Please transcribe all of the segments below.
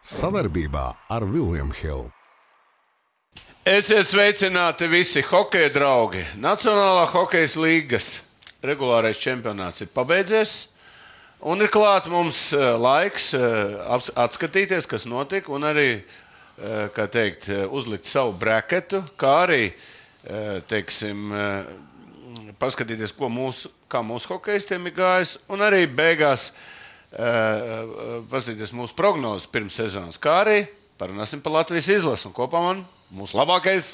Savarbībā ar William Hill. Esiet sveicināti visi hokeja draugi. Nacionālā hokejas līgas regulārais čempionāts ir pabeidzies. Un ir klāt mums laiks atskatīties, kas notika, un arī, kā teikt, uzlikt savu braketu, kā arī, teiksim, paskatīties, kā mūsu hokejistiem ir gājis, un arī beigās paskatīties mūsu prognozes pirms sezonas, kā arī parunāsim par Latvijas izlasu. Un kopā man mūsu labākais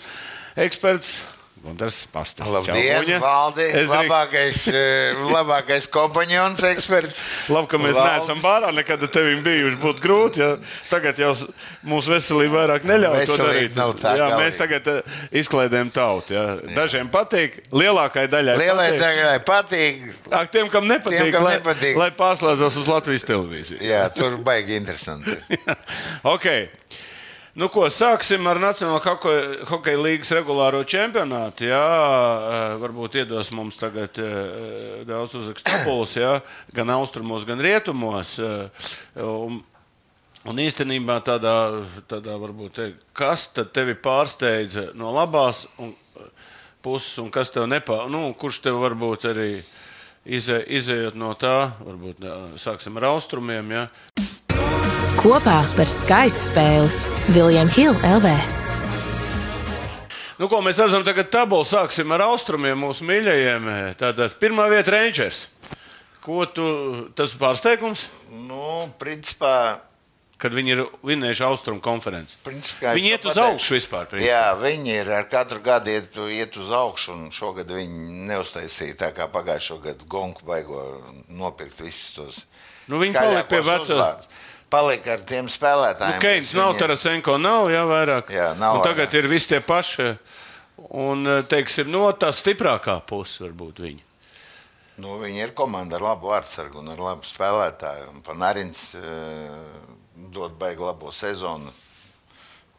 eksperts Gundars Pastas. Labdien, Valdi, labākais kompanjons eksperts. Labi, ka mēs neesam bārā, nekad ar tevim bijuši, būtu grūti, ja tagad jau mūsu veselība vairāk neļauj to darīt. Jā, mēs tagad izklaidējam tautu. Jā. Dažiem patīk, lielākai daļai patīk. Tiem, kam nepatīk, lai pārslēdzās uz Latvijas televīziju. Jā, tur baigi interesanti. Ok. Nu, ko, sāksim ar Nacionālo hokeja līgas regulāro čempionātu. Jā, varbūt iedos mums tagad daudz uzrakstu puls, jā, gan austrumos, gan rietumos. Un īstenībā tādā varbūt, kas tad tevi pārsteidza no labās puses un kas tev kurš tev varbūt arī izējot no tā, varbūt sāksim ar austrumiem, jā. Kopā par skaistu spēli William Hill LV. Nu, ko mēs redzam tagad tabulu, sāksim ar austrumiem mūsu mīļajiem. Tātad pirmā vieta Rangers. Tas pārsteigums? Nu, principā... Kad viņi ir vinējuši austrumu konferenci. Viņi iet uz augšu vispār. Principā. Jā, viņi ir ar katru gadu iet uz augšu, un šogad viņi neuztaisīja tā kā pagājušo gadu gonku baigo nopirkt visus tos viņi palika pie vecās. Palika ar tiem spēlētājiem. Keins nav, Tarasenko nav, jā, vairāk. Jā, nav un tagad vairāk. Ir visi tie paši. Un, teiksim, tā stiprākā puse varbūt viņi. Nu, viņi ir komanda ar labu vārdsargu un ar labu spēlētāju. Un Panarins dod baigi labo sezonu.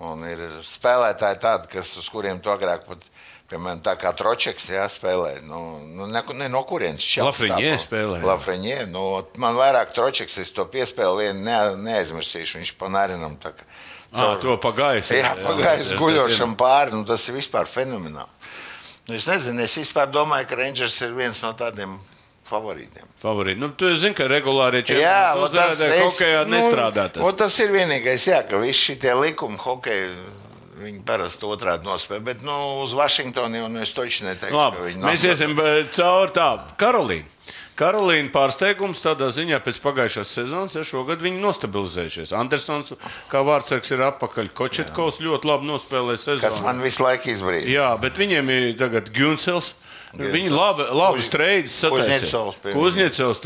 Un ir spēlētāji tādi, uz kuriem to agrāk pat, piemēram, tā kā Tročeks spēlē. Ne no kurienes Lafreniē spēlē. Lafreniē. Man vairāk Tročeks, es to piespēlu vienu neaizmirsīšu. Viņš Panarinam tā kā... To pagājis. Jā, pagājis guļošam pāri. Tas ir vispār fenomenāli. Es nezinu, es vispār domāju, ka Rangers ir viens no tādiem favorītiem. Favorīti. Tu zini, ka regulāri hokejā nestrādā tas. Tas ir vienīgais, ka visi šitie likumi hokeja, viņi parasti otrādi nospēj. Bet uz Vašingtonu jau es toči neteikšu, ka viņi mēs iesim cauri tā. Karolīna pārsteigums tādā ziņā pēc pagājušās sezonas, šogad viņi nostabilizējušies. Andersons kā vārdsargs ir atpakaļ. Kočetkovs ļoti labi nospēlē sezonu. Kas man visu laiku izbrīd. Jā, bet viņiem ir tagad Gunsels. Viņi labi streidus sataisīja. Kuzņecovs.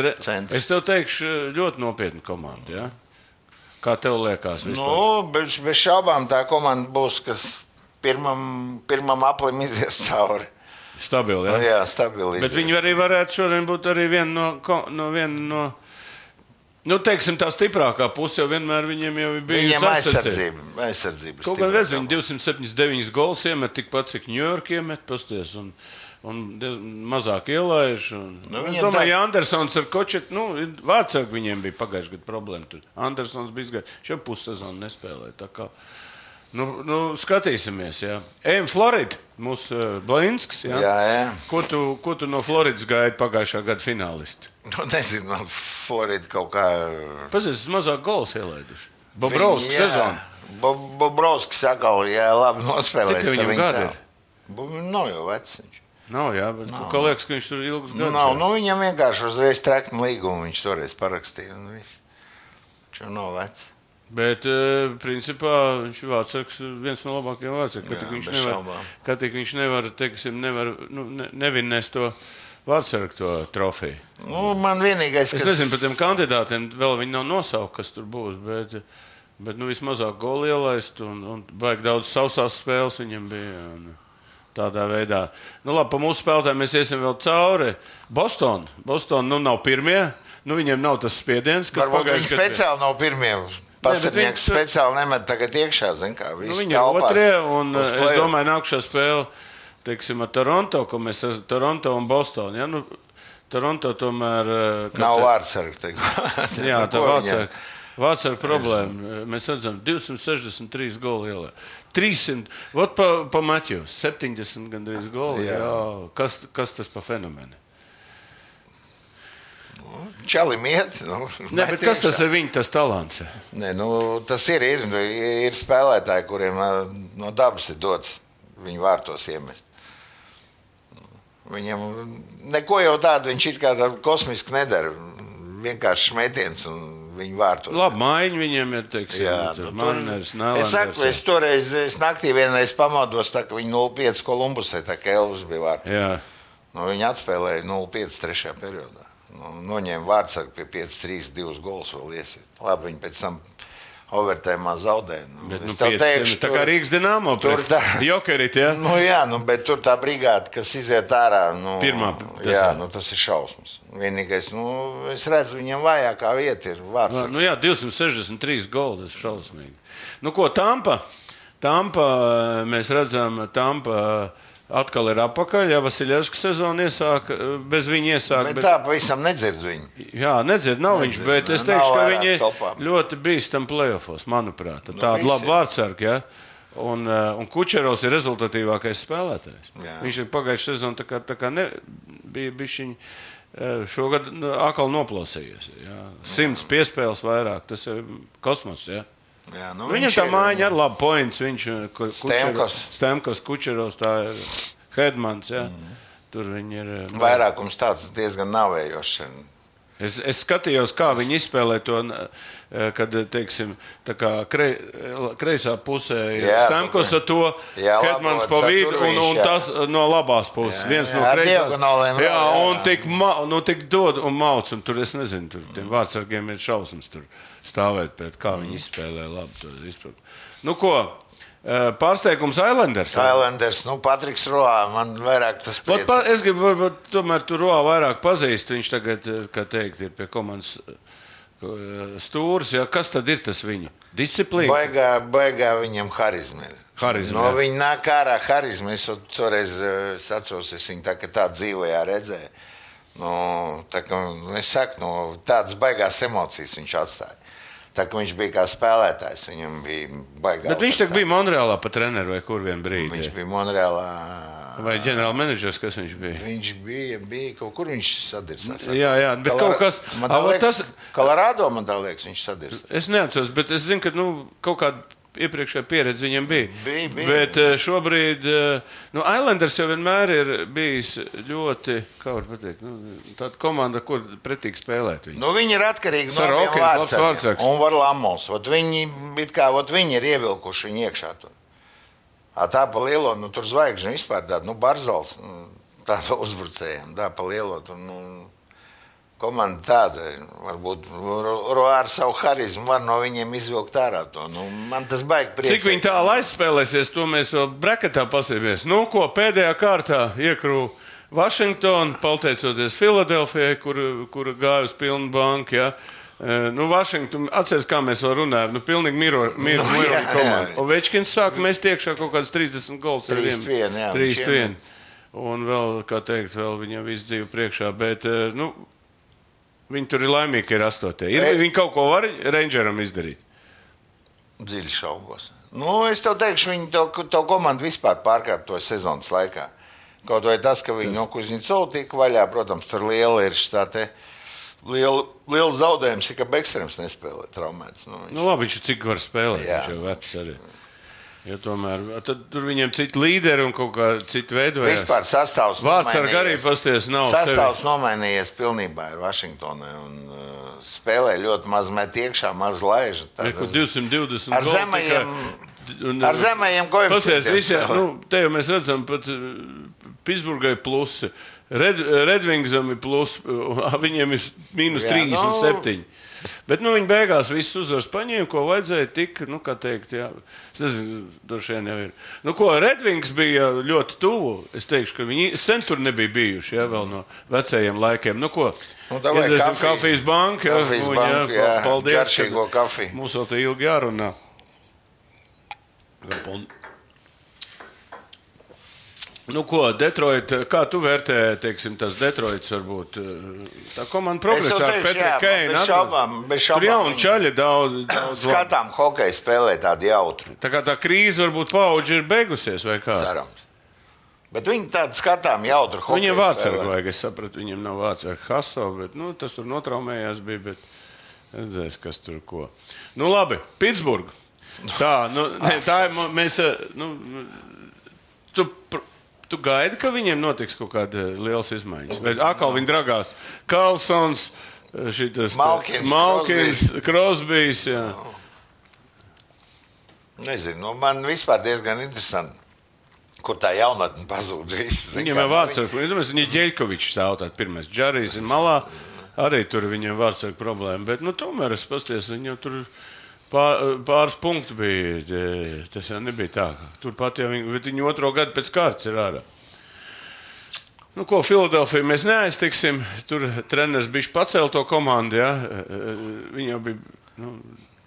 Es tev teikšu ļoti nopietnu komandu, jā? Kā tev liekas vispār? Bez šaubām tā komanda būs, kas pirmam aplim izies cauri. Stabili, jā? Jā, stabili. Bet viņi arī varētu šodien būt arī viena no teiksim, tā stiprākā puse, jo vienmēr viņiem jau ir bijusi aizsardzība. Kaut gan redz, viņi 279 gols iemet tikpat, cik New York iemet, pasties, un mazāk ielaiž. Es domāju, ja Andersons ar Kočetu, vārdsargi viņiem bija pagājuši gadu problēma. Tur Andersons bija izgājis, šo pussezonu nespēlē, tā kā. Skatīsimies, jā. Ejam Florida, mūsu Blinsks, jā? Jā. Ko tu no Floridas gaidi pagājušā gada finālisti? Nezinu, man Florida kaut kā... Pazies, mazāk gols ielaiduši. Bobrovskis sezonu. Bobrovskis atkal, labi nospēlēs. Cik viņam gadi ir? Nav jau veciņš. Nav, jā, bet kā liekas, ka viņš tur ilgus gadus. Nav, viņam vienkārši uzreiz trekna līgumu viņš toreiz parakstīja un viss. Viņš jau nav vecs. Bet, principā, viņš ir vārdsargs, viens no labākajiem vārdsargiem. Kā tik viņš nevar, teiksim, nevinnēs to vārdsargu to trofeju. Man vienīgais, Es nezinu, par tiem kandidātiem vēl viņi nav nosaukt, kas tur būs, bet vismazāk goli ielaist un baigi daudz sausās spēles viņam bija. Tādā veidā. Labi, pa mūsu spēlētājiem mēs iesim vēl cauri. Boston nav pirmie. Viņiem nav tas spiediens, kas pagājuši. Viņi speciāli nav pirmie. Pastarnieks speciāli nemet tagad iekšā, zin kā, visi viņi telpās. Otrie, un es domāju, nākušā spēle, teiksim, ar Toronto, ko mēs ar Toronto un Bostonu, ja? Toronto tomēr... Nav vārdsargi. Jā, tā vārdsargi. Vārtsarga problēma. Mēs redzam, 263 goli ielē. 300, pa Maķos, 70 gandrīz goli. Jā. Kas tas pa fenomenu? Čalim iet. Ne, bet kas tas ir viņa, tas talants? Ne, tas ir spēlētāji, kuriem no dabas ir dots viņu vārtos iemest. Viņam neko jau tādu viņš it kā kosmiski nedara. Vienkārši šmetiens un viņu vārtos. Labi, maiņi viņiem ir, teiksim, Mariners, Nēlanders. Es saku, es toreiz naktī vienreiz pamodos, tā ka viņi 0-5 Kolumbusē, tā ka Elvis bija vārtos. Jā. Viņi atspēlēja 0-5 trešajā periodā. Noņēma vārtsargu pie 5-3, 2 gols vēl iesiet. Labi, viņi pēc tam overtājumā zaudēja. Teikšu, tā kā Rīgas Dinamo pret Jokerit, jā? Bet tur tā brigāde, kas iziet ārā, Pirmā. Tas ir šausmas. Vienīgais, es redzu, viņam vājākā vieta ir vārtsargs. 263 goli, tas ir šausmīgi. Ko Tampa, mēs redzam, atkal ir apakaļ, ja Vasiljevska sezona iesāka, bez viņa iesāka. Bet tā pavisam nedzird viņu. Jā, nedzird, nav viņš, bet es teikšu, ka viņi ļoti bīstam play-offos, manuprāt. Tāda laba vārtsarga, ja? Un Kučerovs ir rezultatīvākais spēlētājs. Jā. Viņš ir pagājuši sezonu tā kā bija bišķiņ, šogad atkal noplausījies. Ja? 100 piespēles vairāk, tas ir kosmos, ja? Jā, viņam tā mājiņa ar labu points, viņš Stemkos, Kučerovs, tā ir Hedmans, jā. Tur viņi ir... Vairākums tāds diezgan navējošs. Es skatījos, kā viņi izspēlē to, kad, teiksim, tā kā kreisā pusē ir Stemkos ar to, Hedmans pa vidu un tas no labās puses. Viens no kreisās. Jā, un tik dod un mauc, un tur es nezinu, tur tiem vārtsargiem ir šausmas tur stāvēt pret, kā viņi izspēlē labi. Pārsteigums Islanders. Patriks Roā, man vairāk tas priecē. Es gribu, varbūt, tomēr tu Roā vairāk pazīst, viņš tagad, kā teikt, ir pie komandas stūris, ja? Kas tad ir tas viņu? Disciplīna? Baigā viņam harizma ir. Viņa nāk ārā harizma, es toreiz atceros, es viņu tā dzīvajā redzēju. Es saku, tādas baigās emocijas viņš atstāja. Tā kā viņš bija kā spēlētājs, viņam bija baigā. Bet viņš bija Monreālā pa treneru vai kur vien brīdi? Viņš bija Monreālā. Vai ģenerāla menedžers, kas viņš bija? Viņš bija kaut kur viņš sadirsās. Jā, bet kaut kas... Kolorādo, man tā liekas, viņš sadirsās. Es neatceros, bet es zinu, ka kaut kāda iepriekšējā pieredze viņam bija. Bet šobrīd Islanders jau vienmēr ir bijis ļoti, kā var pateikt, tāda komanda, kur pretīgi spēlēt. Viņi ir atkarīgi no abiem vārtsargiem un var lamos. Viņi ir ievilkuši viņu iekšā tur. Tā pa lielo, tur zvaigžņu vispār tāda, Barzals, tāda uzbrucējiem, tā pa lielo, komanda tāda, varbūt ar savu harizmu var no viņiem izvilkt ārā to. Man tas baigi priecē. Cik viņi tālu aizspēlēsies, to mēs vēl breketā pasīmies. Pēdējā kārtā iekrū Vašingtonu, pateicoties Filadelfijai, kur gāja uz pilnu banku. Ja? Vašington, atceries, kā mēs vēl runājam, pilnīgi miroja komanda. Ovečkins sāk mest iekšā kaut kāds 30 gols. 3-1. Un vēl, kā teikt, vēl viņam visu dzīvi priekšā, bet, viņi tur ir laimīgi, ka ir 8. Viņi kaut ko var Rangeram izdarīt? Dziļi šaubos. Es tev teikšu, viņi to komandu vispār pārkārtoja sezonas laikā. Kaut vai tas, ka viņi no Kuznecova tika vaļā, protams, tur liela ir liels zaudējums, ka Bekstrēms nespēlē traumēts. Labi, viņš cik var spēlēt, viņš jau vecs arī. Jo tomēr, tad tur viņiem citi līderi un kaut kā citi veidojās. Vispār sastāvs Vārtsargi arī pasties nav. Sastāvs nomainījies pilnībā ar Vašingtonai un spēlē ļoti maz met iekšā, maz laiž. 220 ar zemējiem koeficientiem. Te jau mēs redzam, pat Pittsburgai plusi. Redvingsam ir plus, viņiem ir mīnus 37. Bet viņi beigās visus uzvaras paņēma, ko vajadzēja tik, kā teikt, jā. Es nezinu, droši vien jau ir. Redvings bija ļoti tuvu. Es teikšu, ka viņi sen tur nebija bijuši, jā, vēl no vecajiem laikiem. Iedresim kafijas banku, jā. Paldies. Garšīgo kafiju. Mums vēl te ilgi jārunā. Nu, ko, Detroit, kā tu vērtē, teiksim, tas Detroits varbūt tā komanda progresā ar Petru Keinu? Bez šaubām. Tur jauni čaļi daudz. Skatām, hokeju spēlē tādu jautru. Tā kā tā krīze varbūt paudži ir beigusies, vai kā? Cerams. Bet viņi tādu skatām jautru hokeju spēlē. Viņiem vārdsargu vajag, es sapratu, viņiem nav vārdsargu Haso, bet, tas tur notraumējās bija, bet redzēs, kas tur ko. Nu, labi, Pitsburga. Tā, tā ir, mēs, Tu gaidi, ka viņiem notiks kaut kāda lielas izmaiņas? Vai atkal viņi dragās? Karlsons, Malkins, Crosbys, jā. Nezinu, man vispār diezgan interesanti, kur tā jaunatne pazūd. Viņiem ir vārdsargu. Viņi Ģeļkovičs stāv tātad pirmais. Džarijs ir malā, arī tur viņiem vārdsargu problēma. Bet, tomēr es pasties, viņam tur pāris punktu bija. Tas jau nebija tā. Turpat jau viņi otro gadu pēc kārtas ir ārā. Ko Filadelfiju mēs neaiztiksim. Tur treneris bišķi pacēla to komandu. Ja? Viņi jau bija...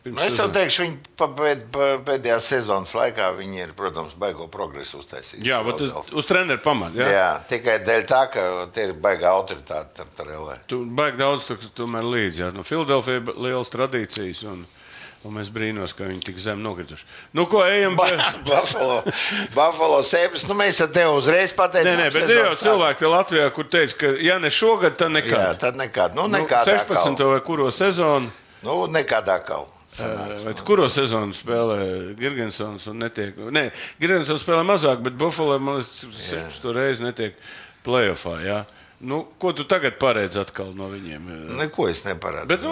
Es tev teikšu, viņi pēdējā sezonas laikā viņi ir, protams, baigo progresu uztaisīt. Jā, uz treneru pamatu. Jā, tikai dēļ tā, ka tie ir baigā autoritāte ar LA. Tu baigi daudz tomēr līdzi. Jā. Filadelfija ir lielas tradīcijas un mēs brīnos, ka viņi tik zem nokrituši. Ko ejam? Buffalo Sabres, mēs ar tevi uzreiz pateicām. Nē, bet ir jau cilvēki te Latvijā, kur teica, ka ja ne šogad, tad nekad. Jā, tad nekad. Nekādā 16. vai kuro sezonu? Nekādā kaut. Kuro sezonu spēlē Girgensons un netiek... Nē, Girgensons spēlē mazāk, bet Buffalo, man liekas, 6 reizi netiek playoffā, jā. Ko tu tagad paredz atkal no viņiem? Neko es neparedzu. Bet,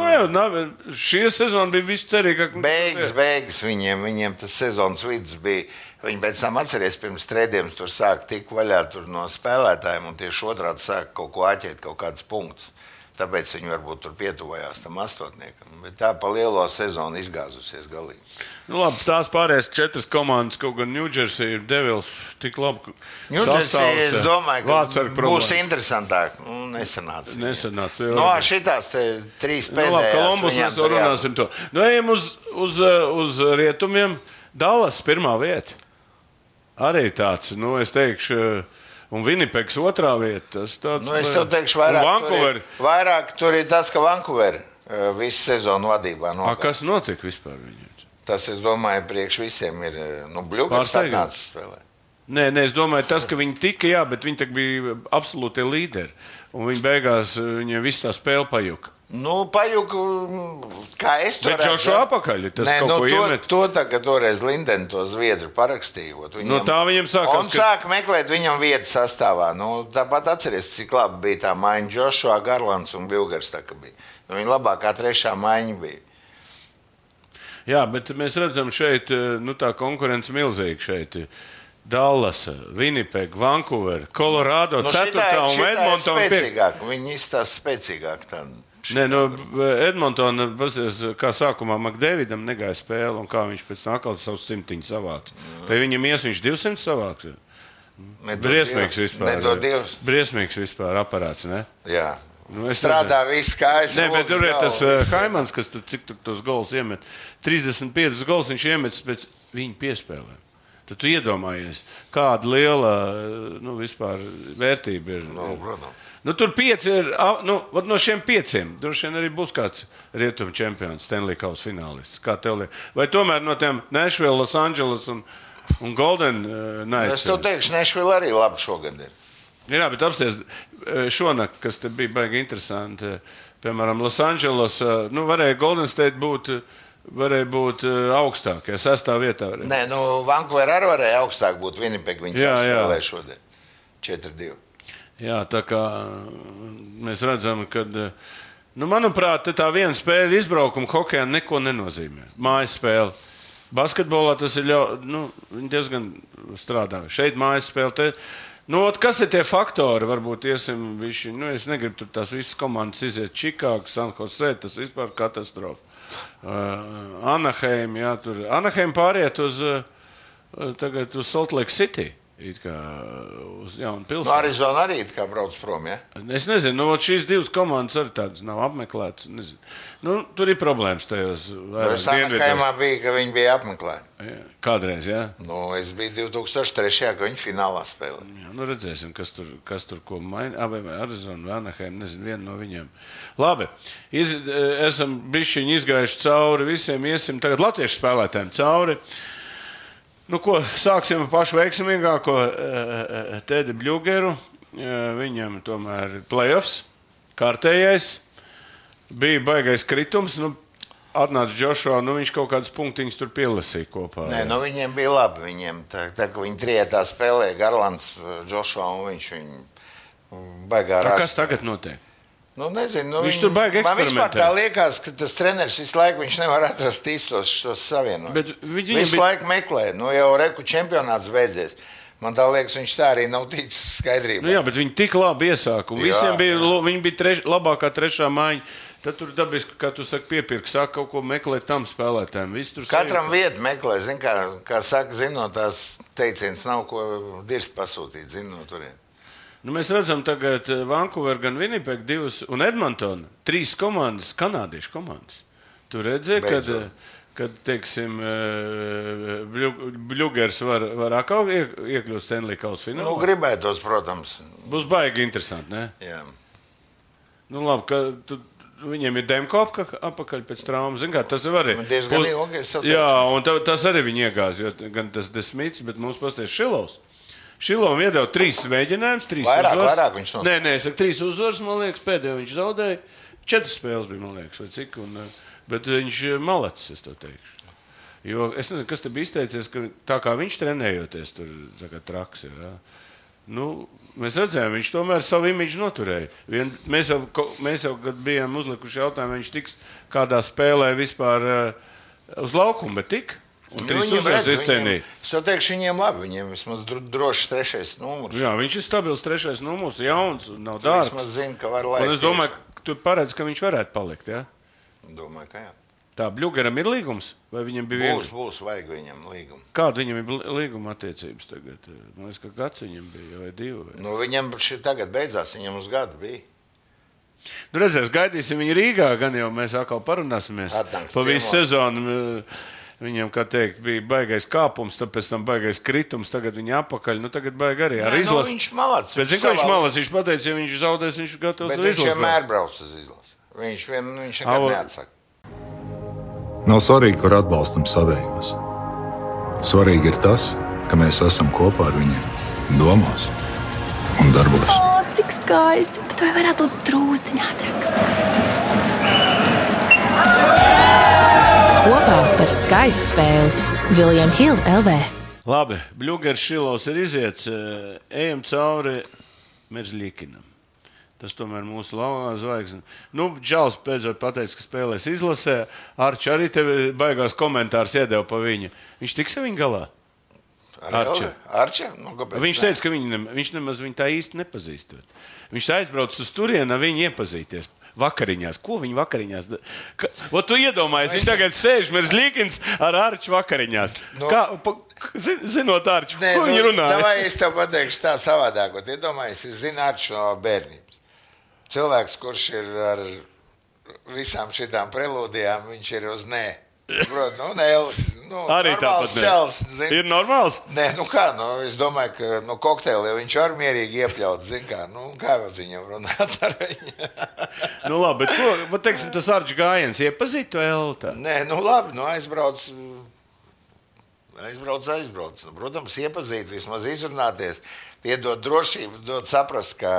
šie sezoni bija viss cerīgāk. Beigas viņiem tas sezonas vidus bija. Viņi pēc tam atceries pirms trēdiem tur sāk tik vaļā tur no spēlētājiem un tieši otrādi sāk kaut ko āķēt, kaut kādus punktus. Tāpēc viņi varbūt tur pietuvojās tam astotniekam. Bet tā pa lielo sezonu izgāzusies galīgi. Labi, tās pārējās 4 komandas, kaut gan New Jersey ir Devils tik labi New Jersey, es domāju, ka būs problēma. Interesantāk. Nesanāca. Šitās 3 pēdējās. Labi, Kolumbus mēs runāsim to. Ejam uz rietumiem. Dallas pirmā vieta. Arī tāds, es teikšu... Un Vinnipegs otrā vieta. Es tev teikšu, vairāk tur ir tas, ka Vancouver visu sezonu vadībā nokāp. Kas notika vispār viņiem? Tas, es domāju, priekš visiem ir Bļugars atnācis spēlē. Nē, es domāju, tas, ka viņi tika, bet viņi bija absolūti līderi. Un viņi beigās, viņiem visu tā spēle pajuka. Pajuku, kā es to redzu. Bet jau šo apakaļ, tas kaut ko iemet. Ka toreiz Linden to Zviedru parakstījot. Tā viņam sākās. Un sāk meklēt viņam vietu sastāvā. Tāpat atceries, cik labi bija tā maiņa Joshua, Garlands un Bļugars tā ka bija. Viņa labākā trešā maiņa bija. Jā, bet mēs redzam šeit, tā konkurence milzīga šeit. Dallas, Winnipeg, Vancouver, Colorado, 4. un Edmonton 5. Viņi izstās spēcīgāk tādu. Nē, Edmontona, kā sākumā McDavidam negāja spēle, un kā viņš pēc tam atkal savus 100 savāca. Vai viņam viņš 200 savāks? Briesmīgs vispār. Briesmīgs vispār aparāts, ne? Jā. Strādā viss kājas. Nē, bet tur ir tas Haimans, kas cik tos gols iemet. 35 gols viņš iemet pēc viņa piespēlēm. Tad tu iedomājies, kāda liela vispār vērtība ir. Protams. Tur 5 ir, no šiem 5, droši vien arī būs kāds rietumu čempions, Stanley Kausa finālists. Kā tev liekas? Vai tomēr no tiem Nashville, Los Angeles un Golden Knights? Es tev teikšu, Nashville arī labi šogad ir. Jā, bet apsties šonakt, kas te bija baigi interesanti, piemēram, Los Angeles, varēja Golden State varēja būt augstāk, 6. vietā. Varēja. Nē, Vancouver arī varēja augstāk būt, Winnipeg viņi spēlē šodien 4-2. Jā, tā kā mēs redzam, ka, manuprāt, tā viena spēle izbraukuma hokejā neko nenozīmē. Mājas spēle. Basketbolā tas ir viņi diezgan strādā. Šeit mājas spēle. Kas ir tie faktori? Varbūt iesim viši, es negribu tur tās visas komandas iziet Čikāga, San Jose, tas vispār katastrofa. Anaheim, jā, tur. Anaheim pāriet tagad uz Salt Lake City. it kā uz jaunu pilsētu. Arizona arī it kā brauc prom, ja? Es nezinu, šīs divas komandas arī tādas nav apmeklētas. Tur ir problēmas tajos vairāk dienvidos. Anaheimā bija, ka viņi bija apmeklēti. Kādreiz, jā? Es biju 2003. Ka viņi finālā spēlē. Jā, redzēsim, kas tur ko maina. Vai Arizona vai Anaheim, nezinu, viena no viņiem. Labi, esam bišķiņi izgājuši cauri visiem, iesim tagad latviešu spēlētājiem cauri. Ko, sāksim ar pašu veiksmīgāko Tedi Bļugeru. Viņam tomēr ir playoffs, kārtējais. Bija baigais kritums. Atnāca Joshua, viņš kaut kādus punktiņus tur pielasīja kopā. Nē, viņiem bija labi. Tā, ka viņi trietā spēlēja Garlands, Joshua un viņš baigā rāks. Kas tagad notiek? Nezinu. Viņš tur baigi eksperimentē. Man vispār tā liekas, ka tas treneris visu laiku viņš nevar atrast īstos šos savienojumus. Visu laiku meklē. Jau reku čempionāts beidzies. Man tā liekas, viņš tā arī nav ticis skaidrībā. Jā, bet viņi tik labi iesāka. Visiem bija labākā trešā mājiņa. Tad tur dabiski, kā tu saki, piepirka, saka kaut ko meklēt tam spēlētājiem. Katram vietu meklē. Zin, kā saka, zinot tās teiciens, nav ko dirst pasūtīt. Zinot turien. Mēs redzam tagad Vancouver, gan Winnipeg, 2 un Edmonton, 3 komandas, kanādiešu komandas. Tu redzēji, kad teiksim, Bļugers var atkal iekļūt Stanley Kausa finālā? Gribētos, protams. Būs baigi interesanti, ne? Jā. Labi, ka viņiem ir Demkovka apakaļ pēc traumas. Zin kā, tas arī. Diezgan ilgi. Jā, un tas arī viņi iegāz, jo gan tas Desmits, bet mums pasties Šilovs. Šilovam iedeva 3 mēģinājumus, 3 uzvaras. Vairāk viņš Nē, es saku 3 uzvaras, man liekas, pēdējo viņš zaudēja. 4 spēles bija, man liekas, vai cik. Bet viņš malacis, es to teikšu. Jo es nezinu, kas te bija izteicies, ka tā kā viņš trenējoties, tur tā kā traks ir. Ja? Mēs redzējām, viņš tomēr savu imidžu noturēja. Mēs jau, kad bijām uzlikuši jautājumu, viņš tiks kādā spēlē vispār uz laukumu, bet tik. Un 3 uzvaras izcīnīja. Es jau teikšu, viņiem labi. Viņiem vismaz drošs 3. numurs. Jā, viņš ir stabils 3. numurs, jauns, nav dārgs. Vismaz zina, ka var laist. Un es domāju, ka tu paredz, ka viņš varētu palikt, ja? Domāju, ka jā. Tā, Bļugeram ir līgums? Vai viņam bija viegli? Būs, vajag viņam līgumu. Kāda viņam ir līguma attiecības tagad? Man liekas, ka gads viņam bija, vai 2. Vai? Viņam tagad beidzās, viņam uz gadu bija. Redzēs, gaidīsim viņu Rīgā, gan jau mēs atkal parunāsimies. Pa visu sezonu. Viņam, kā teikt, bija baigais kāpums, tad pēc tam baigais kritums, tagad viņa apakaļ, tagad baigi arī ar izlasi. Viņš malacis. Bet zinu, ka viņš malacis, viņš pateica, ja viņš zaudēs, viņš gatavs uz izlasi. Bet viņš vienmēr brauc uz izlasi. Viņš nekad neatsaka. Nav svarīgi, kur atbalstam savējos. Svarīgi ir tas, ka mēs esam kopā ar viņiem domās un darbos. Cik skaisti, bet vai varētu būt drūzdiņā ātrāk? Kopā par skaistu spēli William Hill LV. Labi, Bļugers Šilovs ir iziets. Ejam cauri Merzļikinam. Tas tomēr mūsu laukā zvaigzne. Džals pēdējot pateica, ka spēlēs izlasē. Arči arī tev baigās komentārs iedeva pa viņu. Viņš tiks ar viņu galā? Arči? Viņš teica, ka viņš nemaz viņu tā īsti nepazīstot. Viņš aizbrauc uz turienu ar viņu iepazīties. Vakariņās. Ko viņi vakariņās? Tu iedomājies, viņš tagad sēž Merzļikins ar Arču vakariņās. Zinot Arču, ko viņi runāja? Vai es tev pateikšu tā savādāk. Iedomājies, es zinu Arču no bērnības. Cilvēks, kurš ir ar visām šitām prelūdijām, viņš ir uz nē. Elvis, arī tāpat čels, ir normāls? Nē, es domāju, ka kokteili viņš var mierīgi iepļaut, kā viņam runāt ar viņu. Labi, bet teiksim, tas Arčs gājiens iepazīt to Elta? Nē, labi, aizbrauc. Protams, iepazīt, vismaz izrunāties, piedot drošību, dot saprast, ka...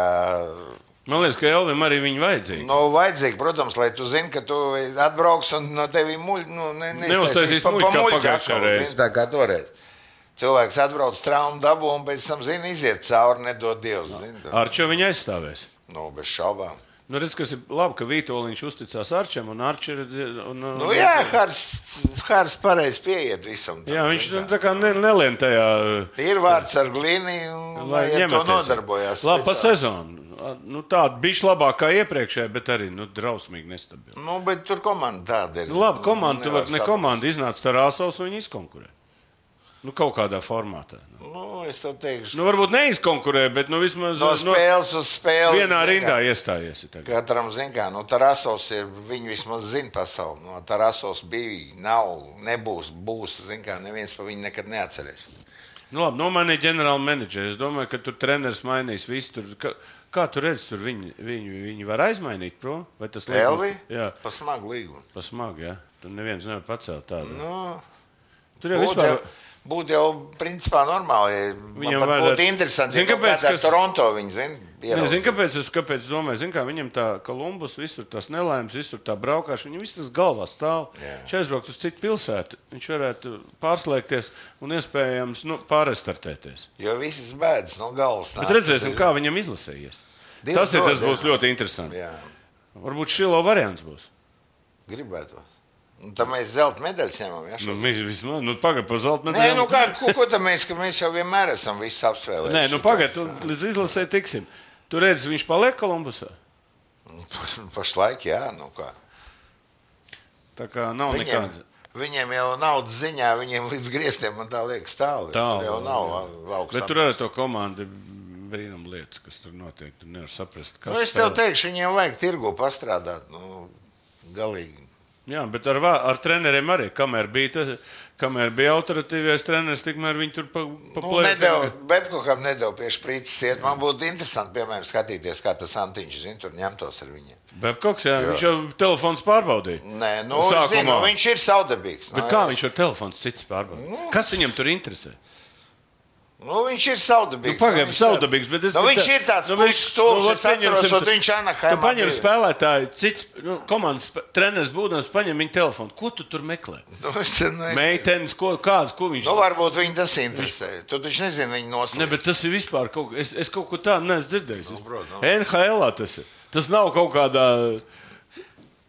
Man liekas, ka Elvim arī viņa vajadzīga. Vajadzīga, protams, lai tu zini, ka tu atbrauks un no tevi neuztaisīs muļu kā pagājušā reize. Tā kā toreiz. Cilvēks atbrauc traumu dabu un pēc tam, iziet cauri, nedod Dievs. Arču viņa aizstāvēs? Bez šaubām. Redz, kas ir labi, ka Vītoliņš uzticās Arčam un Arči ir... Jā, Hārs pareizi pieiet visam. Jā, viņš tā kā nelien tajā... Ir vārds ar glīni un lai ar to nodarbojās. Labi, pa sezonu. Tāda bišķi labāk kā iepriekšējā, bet arī drausmīgi nestabila. Bet tur komanda tāda ir. Labi, komanda, tu var ne komanda iznāca Tarāsovs un viņi izkonkurē. Nu, kaut kādā formātā. Es tev teikšu. Varbūt neizkonkurē, bet vismaz No spēles uz spēli. Vienā rindā iestājies. Katram, Tarasos ir, viņi vismaz zina pasauli. No Tarasos bija, nav, nebūs, būs, neviens pa viņu nekad neatcerēs. Labi, nomainīja ģenerāla menedžeri. Es domāju, ka tur treneris mainīs visu. Kā tu redzi, tur viņi var aizmainīt, pro? Vai tas Elvi? Jā. Pa smagu līgumu. Pa smagu, jā. Tur neviens nevar pacelt tādu. Tur jau vispār... Būtu jau, principā, normāli. Viņam būtu interesanti, ja kādā Toronto viņi zina. Kāpēc domāju? Kā viņam tā Kolumbus, visur tās nelaimes, visur tā braukāšana, viņam viss tas galvā stāv. Viņš aizbraukt uz citu pilsētu, viņš varētu pārslēgties un iespējams pārrestartēties. Jo visas bēdas no galvas nāk. Bet redzēsim, kā viņam izlasējies. Tas būs ļoti interesanti. Jā. Varbūt Šilo variants būs. Gribētos. Tad mēs zelta medaļas ņemam. Ja, pagaid par zelta medaļu. Ko tad mēs jau vienmēr esam visi apspēlējuši? Nē, pagaid, līdz izlasē tiksim. Tu redzi, viņš paliek Kolumbusā? Pašlaik, jā, kā. Tā kā nav nekāda. Viņiem jau naudas ziņā, viņiem līdz griestiem, man tā liekas, tālu. Tur jau nav augstāk. Bet tur arī to komandu brīnum lietas, kas tur notiek. Tu nevar saprast, kas es tev teikšu, viņiem vajag tirgu pastrādāt. Galīgi. Jā, bet ar treneriem arī, kamēr bija autoritīvais treneris, tikmēr viņi tur plēja. Bebkokam nedeva pie šprīces iet. Man būtu interesanti, piemēram, skatīties, kā tas Antiņš, tur ņemtos ar viņiem. Bebkoks, jā, viņš jau telefons pārbaudīja. Nē, viņš ir savdabīgs. Bet kā viņš ar telefons cits pārbaudīja? Kas viņam tur interesē? Viņš ir savdabīgs. Pagaidām, savdabīgs, bet viņš ir tāds stulbs, es atceros, viņš Anaheimā. Tu paņem spēlētāju, cits komandas treneris būdams, paņem viņa telefonu. Ko tu tur meklē? Meitenes, ko viņš... varbūt viņi tas interesē. Tu taču nezini viņu noslēgt. Ne, bet tas ir vispār kaut ko... Es kaut ko tādu neesmu dzirdējis. NHL-ā tas ir. Tas nav kaut kādā...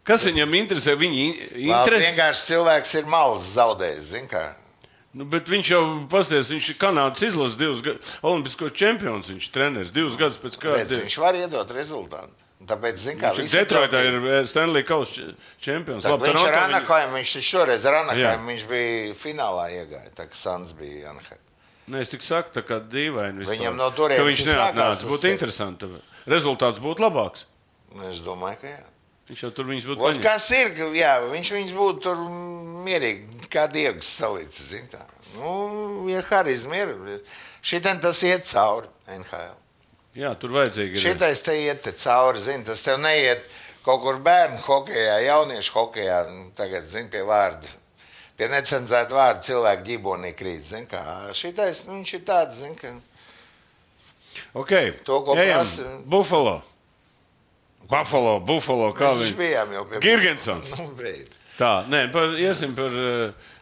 Kas viņam interesē? Viņi interesē... Vienkārši cilvēks ir malas zaudējis, zin kā. Bet viņš jau pasties, viņš ir Kanādas izlases 2 gadus, olimpisko čempions, viņš treneris 2 gadus pēc kāda. Viņš var iedot rezultātu. Tāpēc, viņš Detroitā ir Stanley Kausa čempions. Viņš ar Anaheim, viņš šoreiz ar Anaheim, viņš bija finālā iegāja, tā kā Sans bija Anaheim. Nē, es tik saku, tā kā dīvaini vispār. Viņam no turienes viņš neatnāca, būtu interesanti. Rezultāts būtu labāks. Es domāju, ka jā. Viņš jau tur viņus būtu paņēmis. Kas ir, jā, viņš būtu tur mierīgi, kā Diegs salīdz, zin tā. Ja harizma ir, šitien tas iet cauri NHL. Jā, tur vajadzīgi ir. Šitais te iet te cauri, zin, tas tev neiet kaut kur bērnu hokejā, jauniešu hokejā, tagad, zin, pie vārda, pie necenzēta vārda cilvēku ģibonī krīt, zin, kā. Šitais, viņš ir tāds, zin, ka... Ok, to, ko prasa... Buffalo, kā viņš bijām jau pie... Girgensons. Tā, nē, iesim par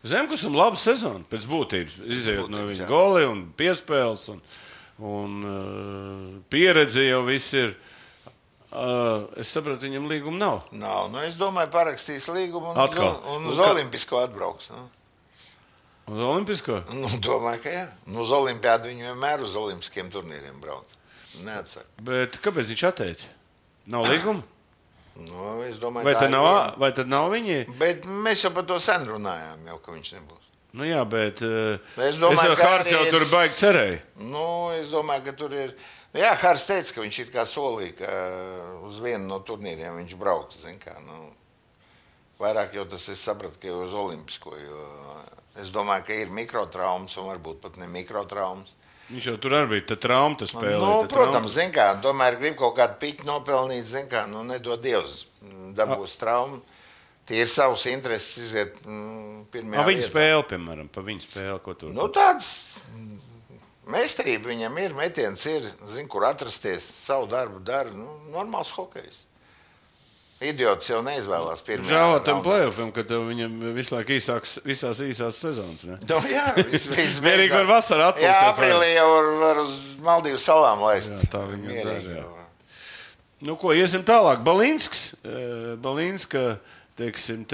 Zemkusam labu sezonu pēc būtības. Izejot no viņa goli un piespēles un pieredze jau viss ir. Es sapratu, viņam līguma nav. Nav, es domāju, parakstīs līgumu un uz Olimpisko atbrauks. Uz Olimpisko? Domāju, ka jā. Uz Olimpiādu viņu vienmēr uz olimpiskiem turnīriem brauc. Neatsaka. Bet kāpēc viņš atteica? Nav līguma? Es domāju, vai tad nav viņi? Bet mēs jau par to sen runājām, jau, ka viņš nebūs. Jā, bet es domāju, ka Hārs jau tur baigi cerēja. Es domāju, ka tur ir... Jā, Hārs teica, ka viņš it kā solīja, ka uz vienu no turnīriem viņš brauks, zin kā. Vairāk jau tas es sapratu, ka jau uz Olimpisko, jo es domāju, ka ir mikrotraumas un varbūt pat ne mikrotraumas. Viņš jau tur arī bija, tad trauma tas spēlē. Protams, zin kā, tomēr grib kaut kādu piķu nopelnīt, zin kā, nedod Dievs, dabūs traumu. Tie ir savus intereses iziet pirmajā vietā. Viņa spēle, piemēram, pa viņa spēle, ko tur? Tāds meistarība viņam ir, metiens ir, zin, kur atrasties, savu darbu dara, normāls hokejs. Idiots jau neizvēlās pirmajā. Žēlā tam play-offam, ka tev viņam visu laiku visās īsās sezonas, ne? Jā, viss mierīgi var vasarā atpūsties. Jā, aprīlī jau var uz Maldīvu salām laist. Jā, tā viņa dara, jā. Ko, iesim tālāk. Balinska, teiksim,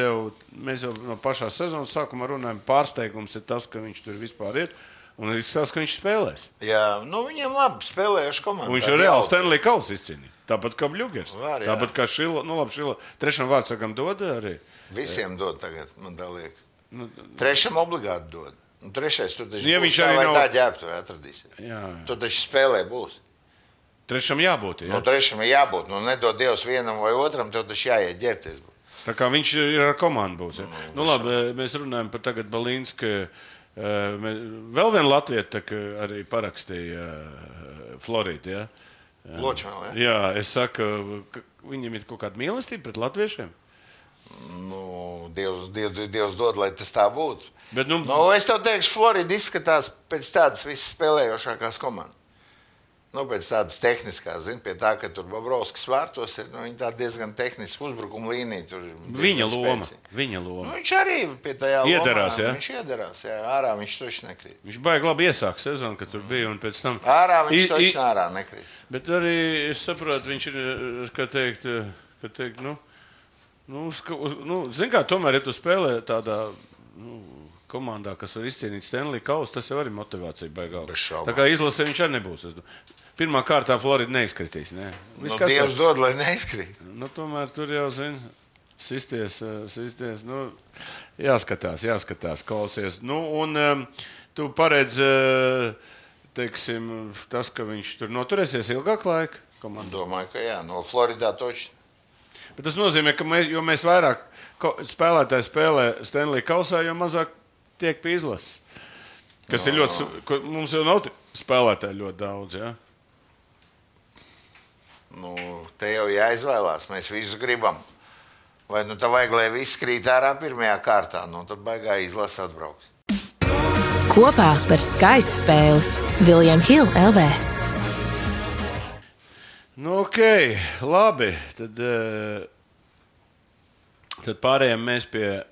mēs jau no pašā sezonas sākumā runājam, pārsteigums ir tas, ka viņš tur vispār ir. Un izskatās, ka viņš spēlēs. Jā, viņam labi spēlējuši komandā. Viņš jau reāli Stanley Kausa izcīnīja. Tāpat kā Bļugers. Tāpat kā Šila. Šila. Trešam vārdsakam dod arī. Visiem dod tagad, man tā liekas. Trešam obligāti dod. Un trešais, tu taču Ja būs viņš tā arī vai nav- tā ģērbtuvē atradīsi. Jā. Tu taču spēlē būs. Trešam jābūt, jā. Nu, trešam ir jābūt. Nu, nedod Dievs vienam vai otram, tev taču jāiet ģērbties. Tā kā viņš ir ar komandu būs. Ja? Nu, labi, mēs runājam par tagad Balīnsku. Vēl viena latvieta arī parakstīja Floridu. Ja? Ločmēl, ja? Jā, es saku, ka viņam ir kaut kāda mīlestība pret latviešiem. Nu, Dievs dod, lai tas tā būtu. Bet, nu, Es tev teikšu, Florida izskatās pēc tādas visas spēlējošākās komandas. Nu, pēc tādas tehniskās, pie tā, ka tur Bobrovskis vārtos ir, viņi tā diezgan tehniski uzbrukuma līnija. Tur viņa loma. Nu, viņš arī pie tajā Iedarās, lomā. ja? Viņš iedarās, jā. Ārā viņš taču nekrīt. Viņš baigi labi iesāk sezonu, kad tur bija, un pēc tam... Ārā viņš taču ārā nekrīt. Bet arī, es saprotu, viņš ir, kā teikt, zin kā, tomēr, ja tu spēlē tādā, komandā, kas var izcīnīt Stanley Kausu, tas jau arī motivācija baigā. Bez šaubām. Tā kā izlasē viņš arī nebūs. Pirmā kārtā Florida neizkritīs. Ne? Dievs dod, lai neizkrīt. Tomēr tur jau, sisties. Jāskatās, klausies. Un tu paredz, teiksim, tas, ka viņš tur noturēsies ilgāk laika komandā. Domāju, ka jā. No Floridā toči. Bet tas nozīmē, ka mēs vairāk spēlētāji spēlē Stanley Kausā, jo mazāk tiek pie izlases. Kas ir ļoti, mums jau nav spēlētāji ļoti daudz, jā? Te jau jāizvēlās. Mēs visu gribam. Vai tā vajag, lai viss krīt ārā pirmajā kārtā, tad baigā izlase atbrauks. Kopā par skaistu spēli William Hill LV. Ok, labi. Tad pārējām mēs pie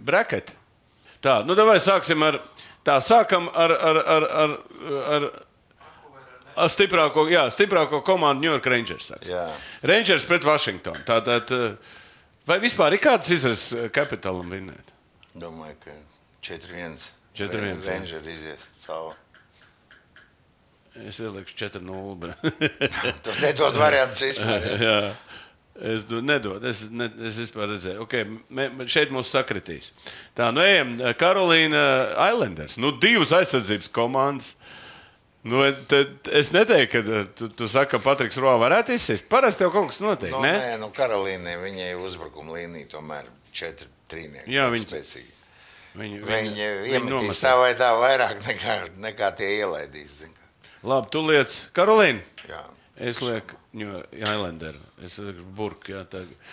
braketa. Tā, davai sāksim ar stiprāko komandu New York Rangers. Rangers pret Washington. Tātad, vai vispār ir kādas izrases Capitalam vinnēt? Domāju, ka 4-1. 4-1. Rangers izies cauri. Es ielikšu 4-0. Tu nedod variantus vispār. Jā. Es nedodu, es vispār redzēju. Okay, šeit mums sakritīs. Tā, ejam, Karolīna Islanders. Divas aizsardzības komandas. Es neteiktu, ka tu saki, ka Patriks Roa varētu izsist. Parasti jau kaut kas notiek, ne? Nē, Karolīnai viņai uzbrukuma līnija tomēr 4-3. Jā, Viņi iemetīs tā vai tā vairāk nekā tie ielaidīs. Labi, tu liec Karolīnu? Jā. Es lieku Islanderu. Es lieku Burku. Jā,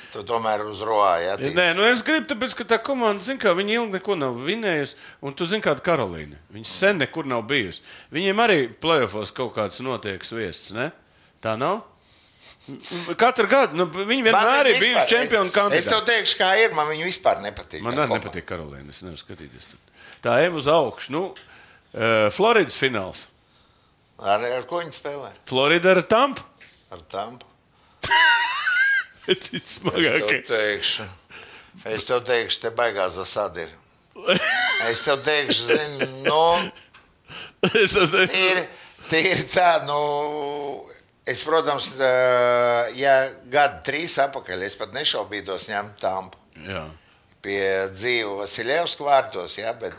tu tomēr uz Roā, jā? Nē, es gribu, tāpēc, ka tā komanda, viņi ilgi neko nav vinējusi. Un tu zini, kāda Karolīna. Viņa sen nekur nav bijusi. Viņiem arī playoffos kaut kāds notiek sviests, ne? Tā nav? Katru gadu. Viņi vienmēr ir bijuši čempionu kandidāti. Es tev teikšu, kā ir. Man viņa vispār nepatīk. Man arī nepatīk Karolīna. Es nevaru skatīties. Tā ejam uz augšu. Floridas fināls. Ar ko viņi spēlē? Florida ar Tampu. Ar Tampu. Es tev teikšu, te baigās zasādi ir. Es tev teikšu, ir tā, es, protams, ja gadu 3 apakaļ, es pat nešaubītos ņemt Tampu. Jā. Pie dzīvu Vasiljevska vārtos, jā, bet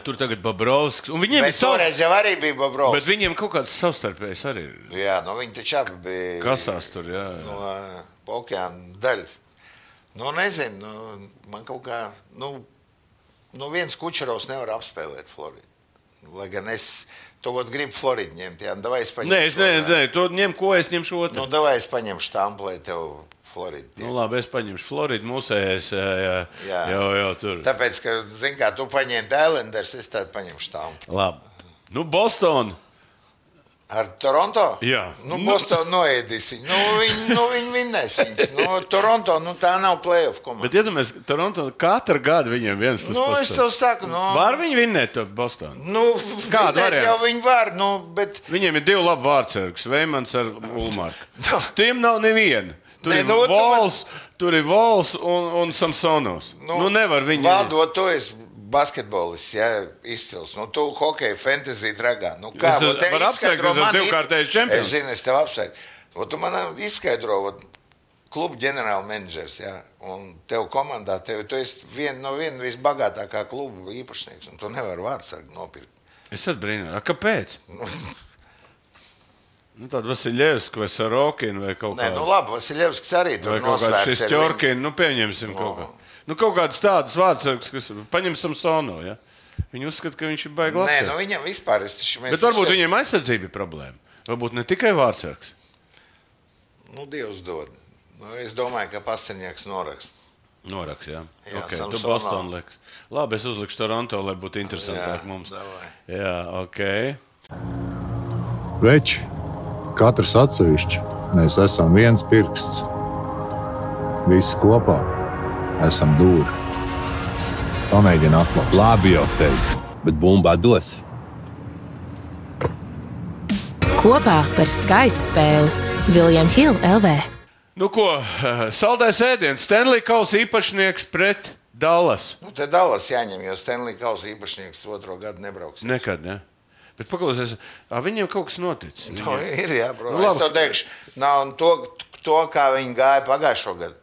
tur tagad Bobrovskis. Bet toreiz jau arī bija Bobrovskis. Bet viņiem kaut kāds savstarpējs arī ir. Jā, viņi taču abi bija... Kasās tur, jā. No okeāna daļas. Nezinu, man kaut kā... viens Kučerovs nevar apspēlēt Floridu. Lai gan es to gribu Floridu ņemt, jā. Davai es paņemšu... Nē, to ņem, ko es ņemšu otru. Davai es paņemšu Tampu, lai tev... Florida. Labi, es paņemšu Floridu, mūsējais, jā, tur. Tāpēc, ka, kā tu paņēmi Islanders, es tādu paņemšu Tampu. Labi. Boston. Ar Toronto? Jā. Boston noēdīs viņu. Viņi vinnēs viņus. Toronto, tā nav playoff komanda. Bet, ja mēs Toronto katru gadu viņiem viens tas pats. Es tev saku, Var viņi vinnēt to Bostonu? Kādu variantu? Jau viņi var, bet... Viņiem ir 2 labi vārdsargus, Veimans ar Ulmarku. Tiem nav neviena. Tur ir Vols un Samsonovs. Nevar viņi... Valdot, tu esi basketbolists, jā, izcils. Tu hokeja, fantasy dragā. Es varu apsveikt, es esmu 2-kārtējs čempions. Es zinu, es tev apsveikt. Tu man izskaidro, klubu ģenerālmenedžers, jā, un tev komandā, tu esi viena visbagātākā klubu īpašnieks, un tu nevari vārdsargu nopirkt. Es atbrīnoju. Kāpēc? Tāda Vasiljevska vai Sarokina vai kaut kāda. Nē, labi, Vasiljevskis arī tur nosvērts. Vai kaut kāds Šestjorkina, kaut kādu. Kaut kādas tādas vārdsargas, kas paņem Samsono, ja? Viņi uzskata, ka viņš ir baigi labs. Nē, viņam vispār. Bet varbūt viņiem aizsardzība ir problēma. Varbūt ne tikai vārdsargs. Dievs dod. Es domāju, ka Pasterņāks norakst. Norakst, jā. Jā, okay. Tu Boston liks. Labi, es uzlikšu Toronto, lai būtu interesantāk mums. Davai. Jā, ok. Veči, katrs atsevišķi, mēs esam viens pirksts. Visi kopā esam dūri. Pamēģini atklāt. Labi jau teicu, bet bumbā dos. Kopā par skaistu spēli William Hill LV. Saldais ēdiens, Stanley Kausa īpašnieks pret Dallas. Te Dallas jāņem, jo Stanley Kausa īpašnieks 2. gadu nebrauks. Nekad, ne? Bet paklausies, viņiem kaut kas noticis. Ir, jā, protams. Es to teikšu, nav to, kā viņi gāja pagājušo gadu.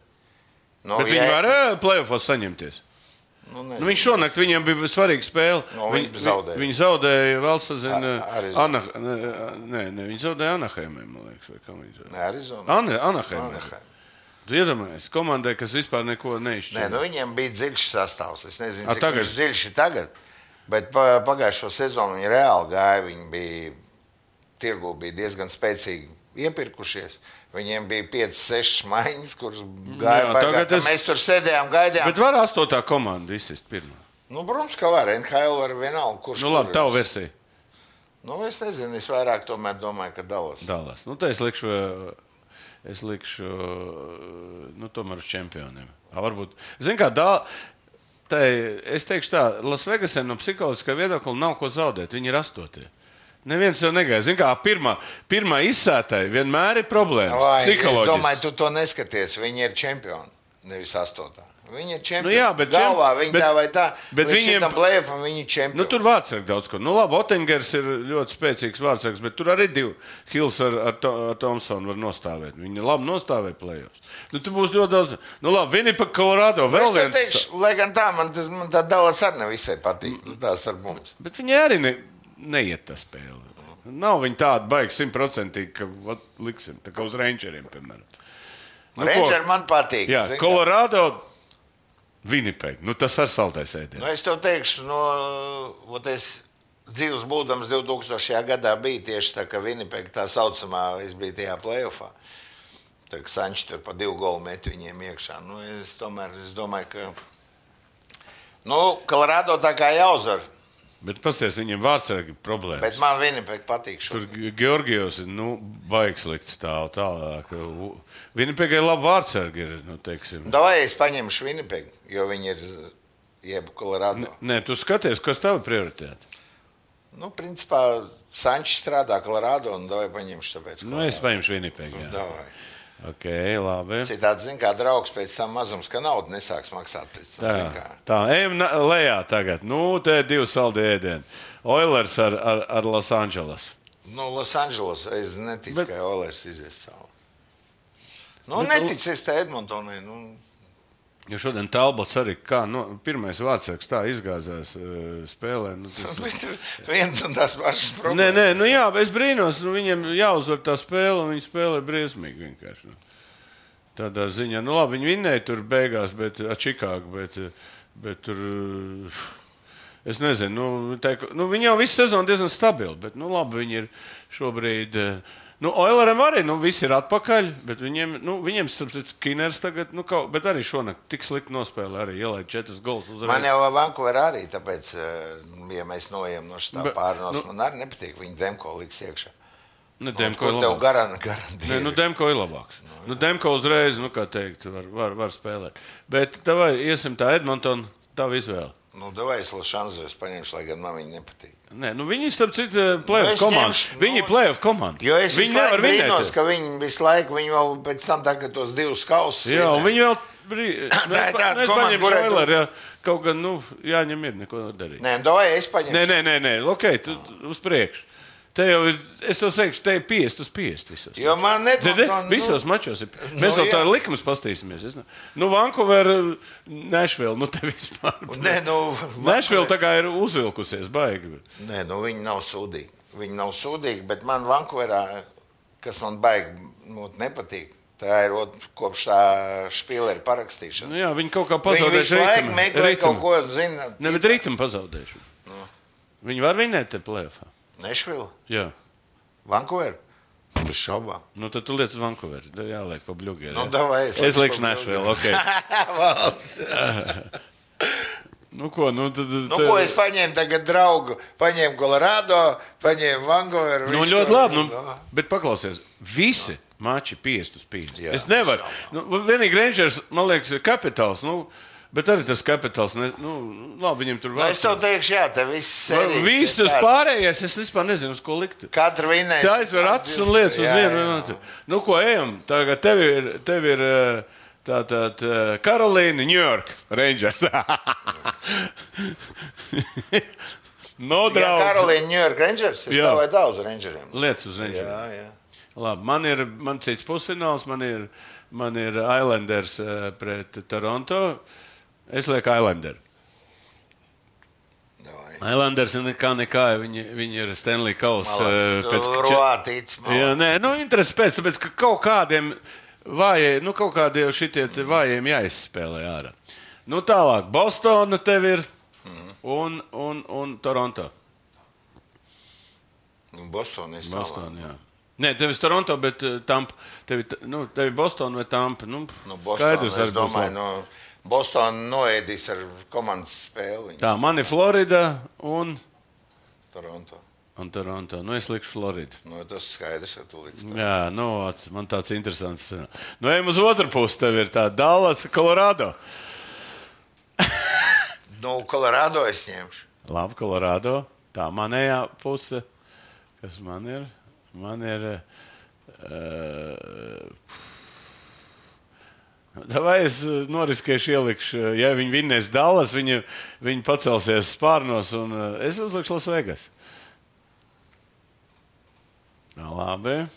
Bet viņi var play-offos saņemties. Viņš šonakt viņiem bija svarīga spēle. Viņi zaudēja vēl sazina viņi zaudēja Anaheimē, man liekas, vai kā viņi zaudēja? Arizona. Anaheimē. Tu iedomājies, komandai, kas vispār neko neizšķīra. Viņiem bija dziļš sastāvs. Es nezinu, cik viņš dziļš ir tagad, bet pagājušo sezonu viņi reāli gāja, tirgu bija diezgan spēcīgi iepirkušies. Viņiem bija 5-6 maiņas, kuras gāja baigā. Mēs tur sēdējām, gaidījām. Bet var 8. komanda izsist pirmā? Protams, ka var. NHL var vienalga, kurš labi, tavu versiju. Es nezinu, es vairāk tomēr domāju, ka Dallas. Dallas. Te es likšu tomēr uz čempioniem. Varbūt, zin kā, es teikšu tā, Lasvegasiem no psiholoģiskā viedokļa nav ko zaudēt. Viņi ir 8. Neviens jau negaida. Zin kā, pirmā izsētāja vienmēr ir problēmas. Es domāju, tu to neskaties. Viņi ir čempioni, nevis 8. Viņi ir čempioni. Galvā viņi tā vai tā. Bet viņiem play-offam viņi ir čempioni. Tur vārdsargi daudz ko. Labi, Ottingers ir ļoti spēcīgs vārdsargs, bet tur arī 2 Hills ar Thompsonu var nostāvēt. Viņi labi nostāvēja play-offs. Tur būs ļoti daudz. Labi, Winnipeg, Colorado, vēl viens. Teikšu, lai gan tā, man tā Dallas arī nevisai patīk. Tās ar mums. Bet viņi arī neiet tā spēle. Nav viņi tādi baigi 100%, ka liksim, tā kā uz Rangeriem, piemēram. Ranger man patīk. Jā, Colorado, Winnipeg. Tas ar saltais ēdiens. Es tev teikšu, es dzīves būdams 2000. gadā bija tieši tā, ka Winnipeg tā saucamā, es biju tajā play-offā. Tā kā Sanči tur pa 2 golu met viņiem iekšā. Es domāju, ka Colorado tā kā jāuzvar. Bet pasies, viņiem vārdsargi problēmas. Bet man Winnipeg patīk šo. Tur Georgijos ir, baigs likt stāv tālāk. Winnipegai labi vārdsargi ir, teiksim. Davai es paņemšu Winnipeg, jo viņi ir jeb Colorado. Nē, tu skaties, kas tev ir prioritāte? Principā Sančs strādā Colorado un davai paņemšu tāpēc. Es paņemšu Winnipeg, jā. Davai. Ok, labi. Citādi, kā draugs pēc tam mazums, ka naudu nesāks maksāt pēc tam. Tā, ejam lejā tagad. Te 2 saldi ēdieni. Oilers ar Los Angeles. Los Angeles, es neticu, ka Oilers izies savu. Neticu es te Edmontonai. Jo šodien Talbots arī pirmais vārdsargs tā izgāzās spēlē. Viens un tās pašas problēmas. Nē, jā, es brīnos, viņiem jāuzvar tā spēle, un viņi spēlē briesmīgi vienkārši. Tādā ziņā, labi, viņi vinnēja tur beigās, ar Čikāgu, bet tur, es nezinu, viņi jau visu sezonu diezgan stabili, bet, labi, viņi ir šobrīd... Oileriem arī, visi ir atpakaļ, bet viņiem Skinners tagad, bet arī šonakt tik slikti nospēlē, arī ielaid 4 golus uzreiz. Man jau Vancouver arī, tāpēc, ja mēs noejam no šitā pārnos, man arī nepatīk, viņi Demko liks iekšā. Demko ir labāks. Demko ir labāks. Demko uzreiz, kā teikt, var spēlēt. Bet tavai iesim tā Edmonton, tavu izvēli. Davai es Los Angeles paņemšu, lai gan man viņi nepatīk. Nē, viņi starp citu play-off komandu. Viņi ir play-off komanda. Jo es visu laiku brīnos, ka viņi visu laiku, viņi vēl pēc tam tagad tos 2 kausus. Jā, un viņi vēl es paņemšu Oiler, jā. Kaut gan, jāņem ir, neko darīt. Nē, davai es paņemšu. Nē, ok, tu uz priekšu. Te jau ir, es to teikšu, te ir 50/50 visos. Jo man Edmontona... Visos mačos ir. Mēs jau tā likumus pastīsimies. Vancouver, Nashville, te vispār. Nashville tā kā ir uzvilkusies, baigi. Nē, viņi nav sūdīgi. Viņi nav sūdīgi, bet man Vancouverā, kas man baigi nepatīk, tā ir kopš tā špīlera parakstīšana. Jā, viņi kaut kā pazaudējuši ritmu. Viņi visu laiku meklē kaut ko, zina. Ne, bet ritmu pazaudējuši. Viņi var vinēt te play-offā. Nešvila? Jā. Vancouver? Bez šaubām. Tad tu liec Vancouver. Jāliek pa bļugē. Davai, es liekšu Nashville, ok. Ko es paņēmu tagad draugu? Paņēmu Colorado, paņēmu Vancouver. Ļoti labi, bet paklausies. Visi mači 50/50. Es nevaru. Vienīgi Rangers, man liekas, ir Capitals. Bet arī tas Capitals, labi, viņiem tur vēl. Es tev teikšu, jā, te viss serijas. Visus pārējais, es vispār nezinu, uz ko likt. Katra vinēs. Tā aizver acis un lietas uz vienu. Ko ejam? Tagad tev ir tātad Karolīna, New York, Rangers. Karolīna, New York, Rangers? Es tā vai daudz Rangeriem. Lietas uz Rangeriem. Jā. Labi, man cits pusfināls, man ir Islanders pret Toronto. Es lieku Islanders. Islanders nekā, viņi ir Stanley Kausa. Roātīts. Jā, nē, interesi pēc, tāpēc, ka kaut kādiem vājiem, kaut kādiem šitie vājiem jāizspēlē ārā. Tālāk, Bostona tev ir un Toronto. Bostona, jā. Nē, tev ir Toronto, bet Tampa. Tev ir Bostona vai Tampa. Bostona, es domāju, Bostona noēdīs ar komandas spēli. Tā, man ir Florida un Toronto. Es likšu Floridu. Tas skaidrs, ka tu liksi. Jā, man tāds interesants. Ejam uz otru pusi, tev ir tā Dallas, Colorado. Colorado es ņemšu. Labi, Colorado. Tā manējā puse. Kas man ir? Man ir... Vai es noriskēšu ielikšu, ja viņi vinnēs Dallas, viņi pacelsies spārnos un es uzlikšu Las Vegas. Labi.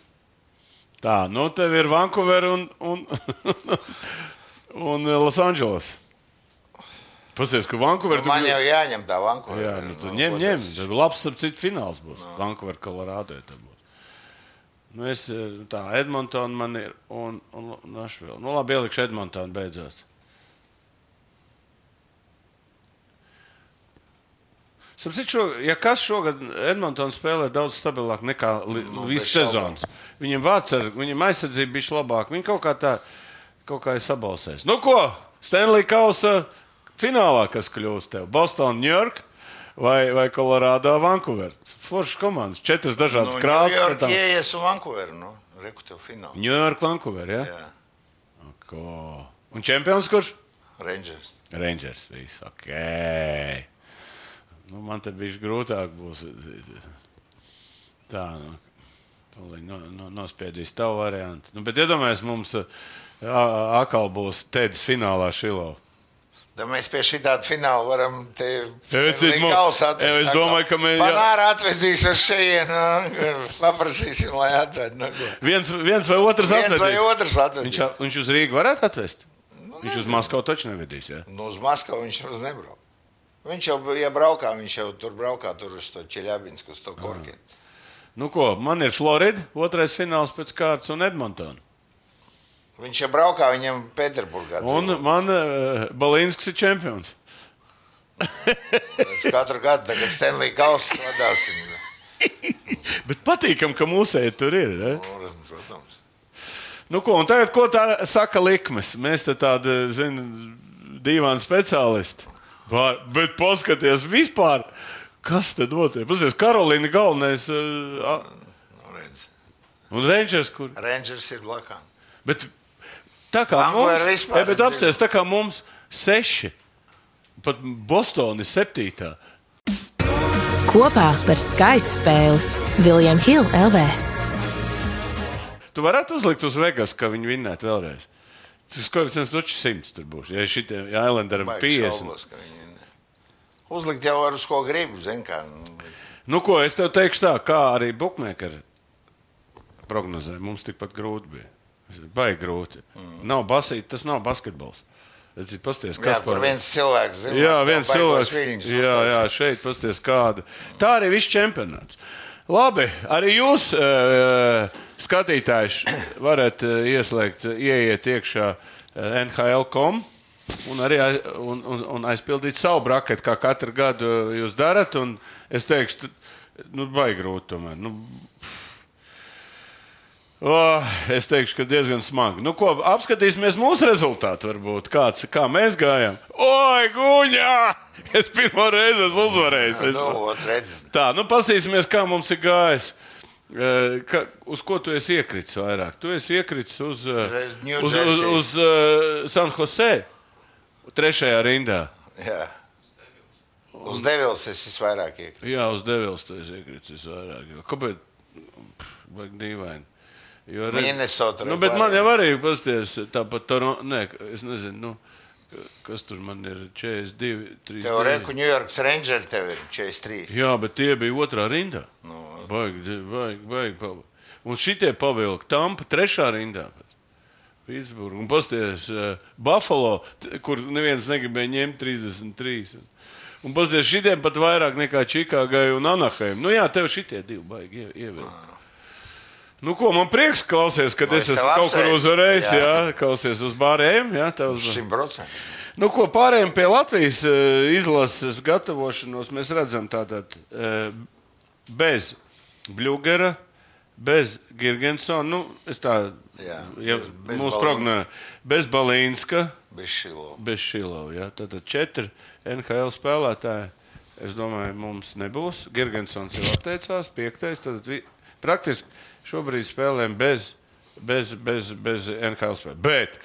Tā, tev ir Vancouver un Los Angeles. Pasies, ka Vancouver... Man jau jāņem tā Vancouver. Jā, ņem. Labs ap citu fināls būs. Vancouver, Colorado. Edmontona man ir un Nashville. Labi, ielikšu Edmontonu beidzot. Ja kas šogad Edmontonu spēlē daudz stabilāk nekā visu sezonas. Viņiem aizsardzība bija labāka. Viņi kaut kā ir sabalsējis. Stanley Kausa finālā, kas kļūst tev? Boston, New York vai Colorado, Vancouver? Foršas komandas, 4 dažādas krāsas. New York ieies un Vancouver, reku tev finālu. New York, Vancouver, jā? Jā. Un čempions kurš? Rangers, viss, ok. Man te bišķi grūtāk būs. Tā, nospiedīs tavu variantu. Bet iedomājies, mums atkal būs Tedis finālā Šilo. Da mēs pie šī tāda fināla varam te Kausa atvest. Es domāju, ka mēs... Panāra atvedīs uz šejienu, paprasīsim, lai atved. Viens vai otrs atvedīs. Viņš uz Rīgu varētu atvest? Viņš uz Maskavu taču nevedīs, jā? Uz Maskavu viņš uz nebrauc. Viņš jau, ja braukā, viņš jau tur braukā, tur uz to Čeļabinsku, uz to Korkinu. Man ir Florida, otrais fināls pēc kārtas un Edmontona. Viņš jau braukā, viņam Pēterburgā. Un man Balinskis ir čempions. Katru gadu tagad Stanley Kausa vadāsim. Bet patīkam, ka mūsēji tur ir, ne? Protams. Un tagad, ko tā saka likmes? Mēs te tādi, dīvāni speciālisti. Bet paskaties vispār, kas te notiek? Paskaties, Karolīna galvenais. Un Rangers, kur? Rangers ir blakā. Bet tā kā mums, bet apsties, tā kā mums 6, pat Bostona ir 7. Kopā par skaistu spēli William Hill LV. Tu varētu uzlikt uz Vegas, ka viņi vinnētu vēlreiz. Tas koeficients 100 tur būs. Ja Islanderam 50. Uzlikt jau ar uz ko gribu, zin kā. Nu, ko es tev teikšu tā, kā arī bookmakeri prognozē. Mums tikpat grūti bija. Baigi grūti. Nav basīt, tas nav basketbols. Pasties, Jā, kur viens cilvēks zina. Jā, viens cilvēks. Jā, šeit pasties kāda. Tā arī viss čempionāts. Labi, arī jūs, skatītāji, varat ieiet iekšā NHL.com un arī aizpildīt savu braketu, kā katru gadu jūs darat. Un es teikšu, baigi grūti tomēr. Es teikšu, ka diezgan smagi. Nu, ko, apskatīsimies mūsu rezultātu, varbūt. Kā mēs gājām. Oi, Guņā! Es pirmo reizi esmu uzvarējis. Tā, paskatīsimies, kā mums ir gājis. Uz ko tu esi iekritis vairāk? Tu esi iekritis uz San Jose, 3. rindā. Jā. Uz Devils es visvairāk iekritis. Jā, uz Devils tu esi iekritis visvairāk. Kāpēc? Vajag dīvaini. Minnesota. Bet man jau arī pasties tāpat Toronto. Nē, es nezinu, kas tur man ir 42, 3. Tev reku New York Rangers tev ir 43. Jā, bet tie bija 2. rindā. Baigi. Un šitie pavilka Tampa 3. rindā. Pittsburgh. Un pasties Buffalo, kur neviens negribēja ņemt 33. Un pasties šitiem pat vairāk nekā Čikāgai un Anaheim. Jā, tev šitie divi baigi ievēl. Nu, ko, man prieks klausies, kad es esmu kaut kur uzvarējis, jā, klausies uz bārējiem, jā, tev uz 100%. Nu, ko, pārējiem pie Latvijas izlases gatavošanos mēs redzam tātad bez Bļugera, bez Girgensona, es tā, mūsu prognozē, bez Balīnska, bez Šilova, jā, tātad 4 NHL spēlētāji, es domāju, mums nebūs. Girgensons jau atteicās, 5. Tātad praktiski šobrīd spēlēm bez NHL spēlēm. Bet,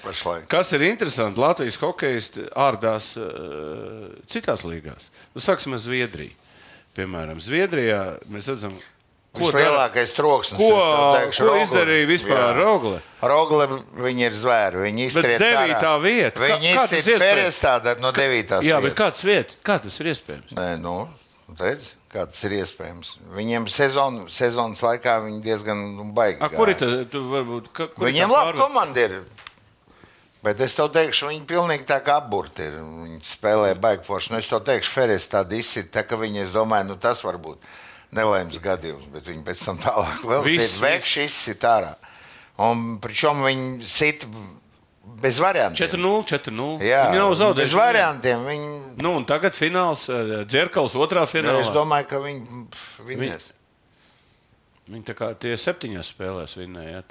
kas ir interesanti, Latvijas hokejisti ārdās citās līgās. Sāksim ar Zviedriju. Piemēram, Zviedrijā mēs redzam, lielākais troksnis. Ko izdarīja vispār Rogle? Rogle, viņi ir zvēri. Viņi iztriec ārā. 9. vieta. Viņi iztriec Ferestā no 9. Jā, bet kāds vieta? Kā tas ir iespējams? Nē, redz. Kā tas ir iespējams. Viņiem sezonas laikā viņi diezgan baigi gāja. Kur ir tu varbūt? Viņiem laba komanda ir. Bet es tev teikšu, viņi pilnīgi tā kā apburti ir. Viņi spēlē baigi forši. Es tev teikšu, Feres tāda izsit, tā ka viņi, es domāju, tas varbūt nelēms gadījums, bet viņi pēc tam tālāk vēl sit vekši izsit ārā. Un pričom viņi sit bez variantiem. 4-0. Jā, viņi nav zaudējuši. Bez variantiem. Un tagad fināls, Dzerkals 2. finālā. Es domāju, ka viņi vinnēs. Viņi tā kā tie 7 spēlēs vinnēja.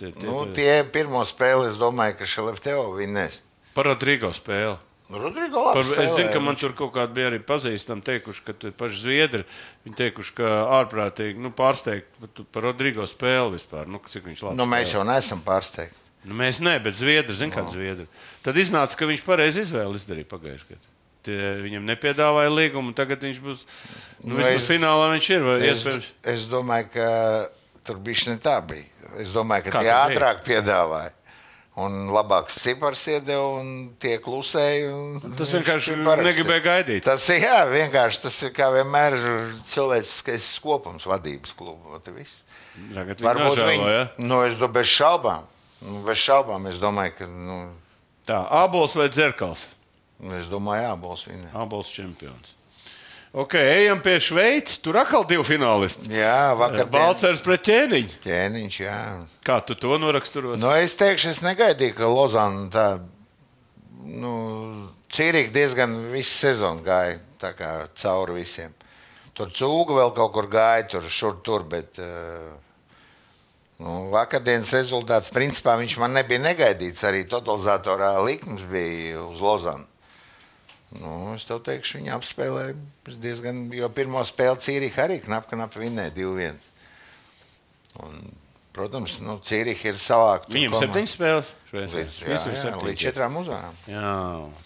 Tie pirmo spēli, es domāju, ka Šelefteo vinnēs. Par Rodrigo spēli. Rodrigo labi spēlē. Es zinu, ka man tur kaut kādi bija arī pazīstami teikuši, ka paši Zviedri, viņi teikuši, ka ārprātīgi pārsteigti par Rodrigo spēli vispār. Cik viņš labi spēlē. Mēs jau neesam pārsteigti. Mēs ne, bet Zviedri, zin kāds Zviedri. Tad iznāca, ka viņš pareizi izvēli izdarīja pagājušajā gadā. Viņam nepiedāvāja līgumu, tagad viņš būs, vismaz finālā viņš ir. Es domāju, ka tur bišķi ne tā bija. Es domāju, ka tie ātrāk piedāvāja. Un labāks cipars iedeva, un tie klusēja. Tas vienkārši negribēja gaidīt. Tas ir, tas ir kā vienmēr cilvēciskais kopums vadības klubu. Varbūt viņi, es domāju, bez šaubām. Bez šaubām, es domāju, ka... Tā, Ābols vai Dzerkals? Es domāju, Ābols vinnē. Ābols čempions. Ok, ejam pie Šveices. Tur atkal 2 finālisti. Jā, vakar. Balcers pret Ķēniņu. Ķēniņš, jā. Kā tu to noraksturos? Es teikšu, es negaidīju, ka Lozana tā, Cīrika diezgan visu sezonu gāja tā kā cauri visiem. Tur Cūga vēl kaut kur gāja, tur, bet vakardienas rezultāts, principā viņš man nebija negaidīts. Arī totalizatorā likums bija uz Lozanu. Es tev teikšu, viņi apspēlēja diezgan, jo pirmo spēli Cīrika arī knap vinnēja 2-1. Un, protams, Cīrika ir savākt. Viņam 7 spēles? Līdz 4 uzvarām. Jā,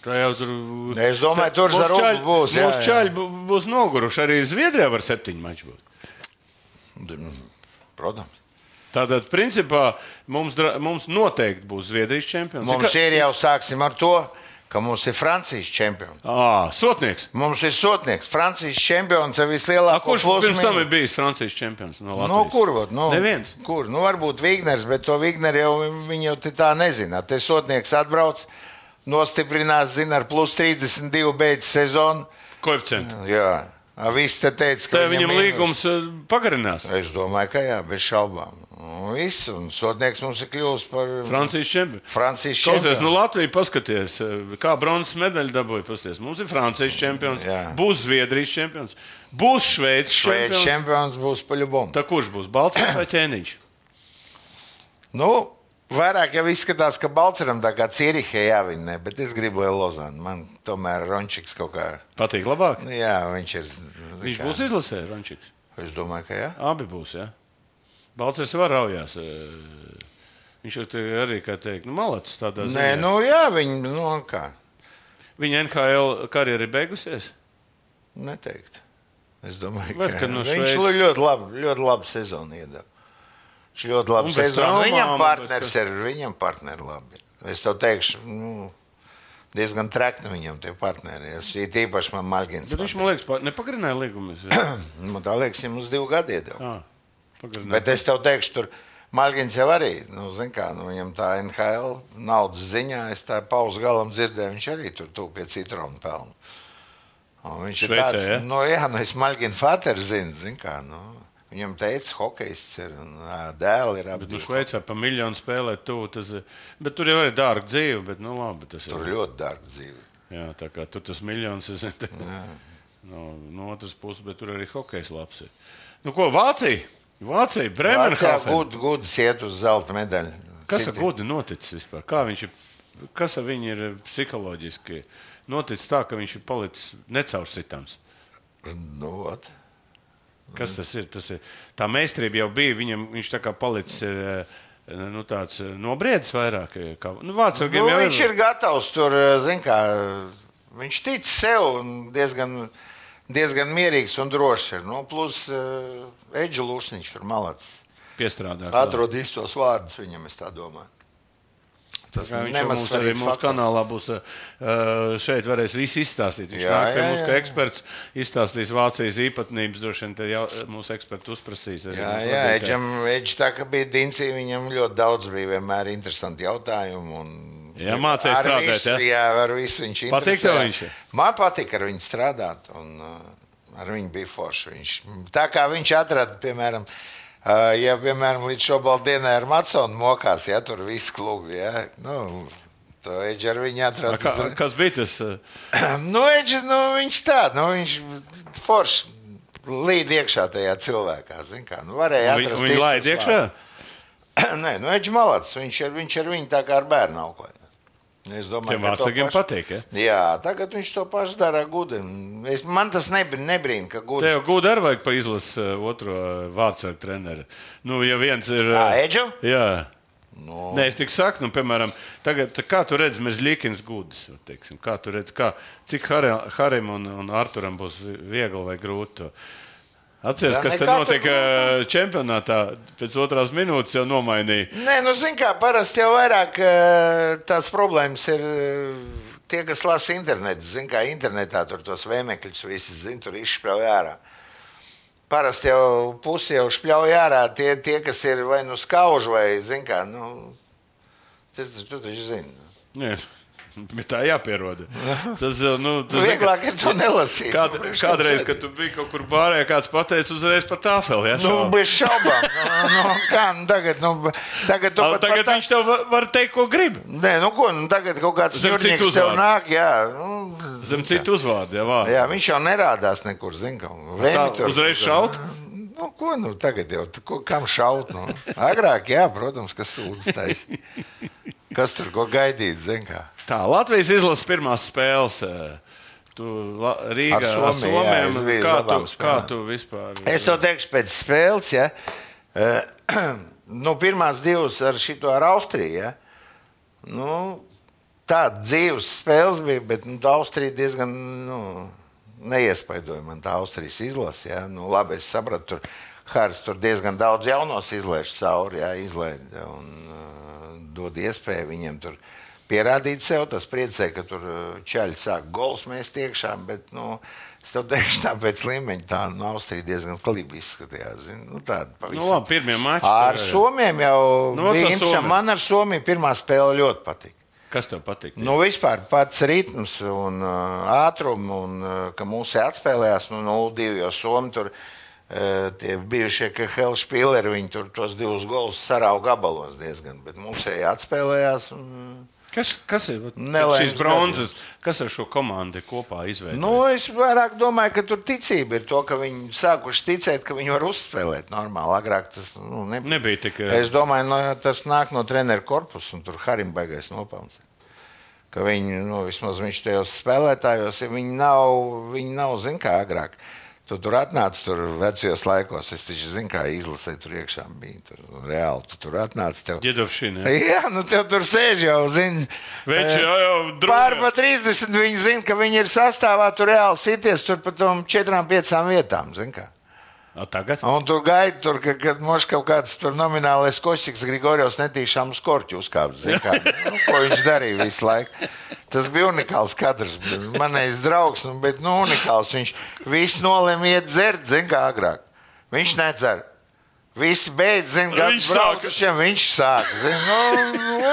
tā jau tur... Es domāju, tur Zaruba būs. Mūsu čaļi būs noguruši. Arī Zviedrijā var 7 mači būt. Protams. Tātad, principā, mums noteikti būs Zviedrijas čempions. Mums ir jau sāksim ar to, ka mums ir Francijas čempions. Sotnieks. Mums ir Sotnieks. Francijas čempions ar vislielāko Kurš pirms tam ir bijis Francijas čempions no Latvijas? Kur? Neviens. Kur? Varbūt Vigners, bet to Vigneru jau viņi jau tā nezina. Te Sotnieks atbrauc, nostiprinās, zina, ar plus 32 beidz sezonu. Koeficientu. Jā. Viss te teica, ka viņam līgums pagarinās. Es domāju, ka jā, bez šaubām. Viss, un Sotnieks mums ir kļuvis par Francijas čempions. Klausies, Latvija paskaties, kā bronzas medaļu dabūja. Pasties. Mums ir Francijas čempions, būs Zviedrijas čempions, būs Šveices čempions, būs paļubom. Tā kurš būs, Balcers vai Ķēniņš? Vairāk jau izskatās, ka Balceram tā kā Cierihe jāvinē, bet es gribu, lai Lozāna. Man tomēr Rončiks kaut kā... Patīk labāk? Jā, viņš ir... Viņš būs izlasē, Rončiks? Es domāju, ka jā. Abi būs, jā. Balcers var raujās. Viņš arī, kā teikt, malacis tādā ziņā. Nē, jā, viņi, kā? Viņa NHL karjera ir beigusies? Neteikt. Es domāju, ka viņš ļoti labu sezonu iedeva. Viņš ļoti labi sezonu. Viņam partneri labi. Es tev teikšu, diezgan trekni viņam tie partneri. Es īpaši man Malgins. Bet viņš, man liekas, nepagarināja līgumus. Man tā liekas, ja mums 2 gadi iedeva. Pagarināja. Bet es tev teikšu, tur Malgins jau arī, zin kā, viņam tā NHL naudas ziņā, es tā pauzu galam dzirdēju, viņš arī tur tūp pie citronu pelnu. Viņš ir tāds, es Malgina Fater zin kā, viņam teica, hokejists ir un dēli ir abi. Bet Šveicā pa miljonu spēlēt tuvu, bet tur jau ir dārga dzīve, bet labi. Tur ir ļoti dārga dzīve. Jā, tā kā tur tas miljons ir no otras puses, bet tur arī hokejs labs ir. Ko, Vācija, Bremerhaven. Gudis iet uz zelta medaļu. Kas ar Gudi noticis vispār? Kas ar viņu ir psiholoģiski noticis tā, ka viņš ir palicis necaursitams? Kas tas ir? Tā meistarība jau bija, viņš tā kā palicis tāds nobriedis vairāk. Viņš ir gatavs tur, zin kā, viņš tic sev diezgan mierīgs un drošs ir. Plus Eģi Lušniņš ir malacis. Piestrādā. Atrod īstos vārdus viņam, es tā domāju. Tas mums arī mūsu kanālā būs šeit varēs visu izstāstīt. Viņš nāk pie mums, ka eksperts izstāstīs Vācijas īpatnības, droši vien te mūsu eksperti uzprasīs. Eģi tā, ka bija Dincī, viņam ļoti daudz bija vienmēr interesanti jautājumi. Jā, mācēja strādāt, jā, ar visu viņš interesē. Patīk tev viņš? Man patīk ar viņu strādāt, un ar viņu bija forši. Tā kā viņš atrada, piemēram, ja, piemēram, līdz šobaldienai ar Matsonu mokās, ja, tur viss klubi, ja, to Eģi ar viņu atrada. Kas bija tas? Eģi, viņš tā, viņš forši līd iekšā tajā cilvēkā, zin kā, varēja atrast. Viņi laid iekšā? Nē, Eģi malacis, viņš ar viņu tā kā ar bērnu auklē. Es domāju, tiem vārdsargiem patīk, ja? Jā, tagad viņš to pašu dara Gudi. Man tas nebrīn, ka Gudi... Tev Gudi arī vajag pa izlas otro vārdsargu treneri. Ja viens ir... Eģu? Jā. Nē, es tik saku, piemēram, tagad, kā tu redzi Mežļikins Gudis, teiksim, kā tu redzi, cik Harim un Arturam būs viegli vai grūti to. Atceries, kas te notika čempionātā, pēc otrās minūtes jau nomainīja. Nē, zin kā, parasti jau vairāk tās problēmas ir tie, kas lasa internetu. Zin kā, internetā tur tos vēmekļus visi, zin, tur izšpļauj ārā. Parasti jau pusi jau špļauj ārā tie, kas ir vai skauž vai, zin kā, tu taču zini. Nē. Bet tā jāpieroda. Vieglāk ir to nelasīt. Kādreiz, kad tu biji kaut kur bārē, kāds pateica uzreiz pa tāfeli. Bez šaubām. Tagad viņš tev var teikt, ko grib. Nē, tagad kaut kāds ņurnieks tev nāk, jā. Zem citu uzvārdu, jā, vārdu. Jā, viņš jau nerādās nekur, zin kā. Uzreiz šaut? Tagad jau, kam šaut? Agrāk, jā, protams, kas sūdztais. Kas tur ko gaidīt, zin kā. Tā, Latvijas izlases pirmās spēles. Rīgā ar Somiem. Kā tu vispār? Es to teikšu pēc spēles, ja. Pirmās divas ar šito ar Austriju, ja. Tāda dzīves spēles bija, bet Austrija diezgan, neiespaidoja man tā Austrijas izlase, ja. Labi, es sapratu, Haris tur diezgan daudz jaunos izlaiž cauri, ja, izlaida un dod iespēju viņiem tur pierādīt sev, tas priecē, ka tur čaļi sāk gols mest iekšā, bet, es tev teikšu, tā pēc līmeņa tā Austrija diezgan klibi izskatījās. Tāda pavisam. Labi, pirmie mači. Ar Somiem jau bija interesanti. Man ar Somiju pirmā spēle ļoti patīk. Kas tev patīk? Vispār pats ritms un ātrumi, un ka mūsu atspēlējās 0-2, jo Somi tur tie bijušie KHL špīleri, viņi tur tos 2 golus sarauga gabalos diezgan, bet mūsēji atspēlējās. Kas ir šīs bronzas? Kas ar šo komandu kopā izveidoja? Es vairāk domāju, ka tur ticība ir to, ka viņi sākuši ticēt, ka viņi var uzspēlēt normāli. Agrāk tas nebija tik. Es domāju, tas nāk no treneru korpusa, un tur Harim baigais nopelns. Ka viņi, vismaz viņš tajos spēlētājos, viņi nav zin kā agrāk. Tu tur atnāc tur vecajos laikos, es taču zinu, kā izlasēju tur iekšā bija. Tur, reāli, tu tur atnāc tev. Ģedovšina, jā, tev tur sēž jau, zini. Veči jau Pārpa 30, viņi zina, ka viņi ir sastāvā, tur reāli sities tur pa tom 4-5 vietām, zini kā. Tagad? Un tur gaida, kad moš kaut kāds tur nominālais Košķiks Grigorjovs netīšām uz korķu uzkāpt, zini kā. Ko viņš darīja visu laiku. Tas bija unikāls kadrs. Manējais draugs, bet unikāls. Viņš visu nolēma iet dzert, zin kā agrāk. Viņš nedzer. Visi beidz, zin, braukušiem viņš sāk.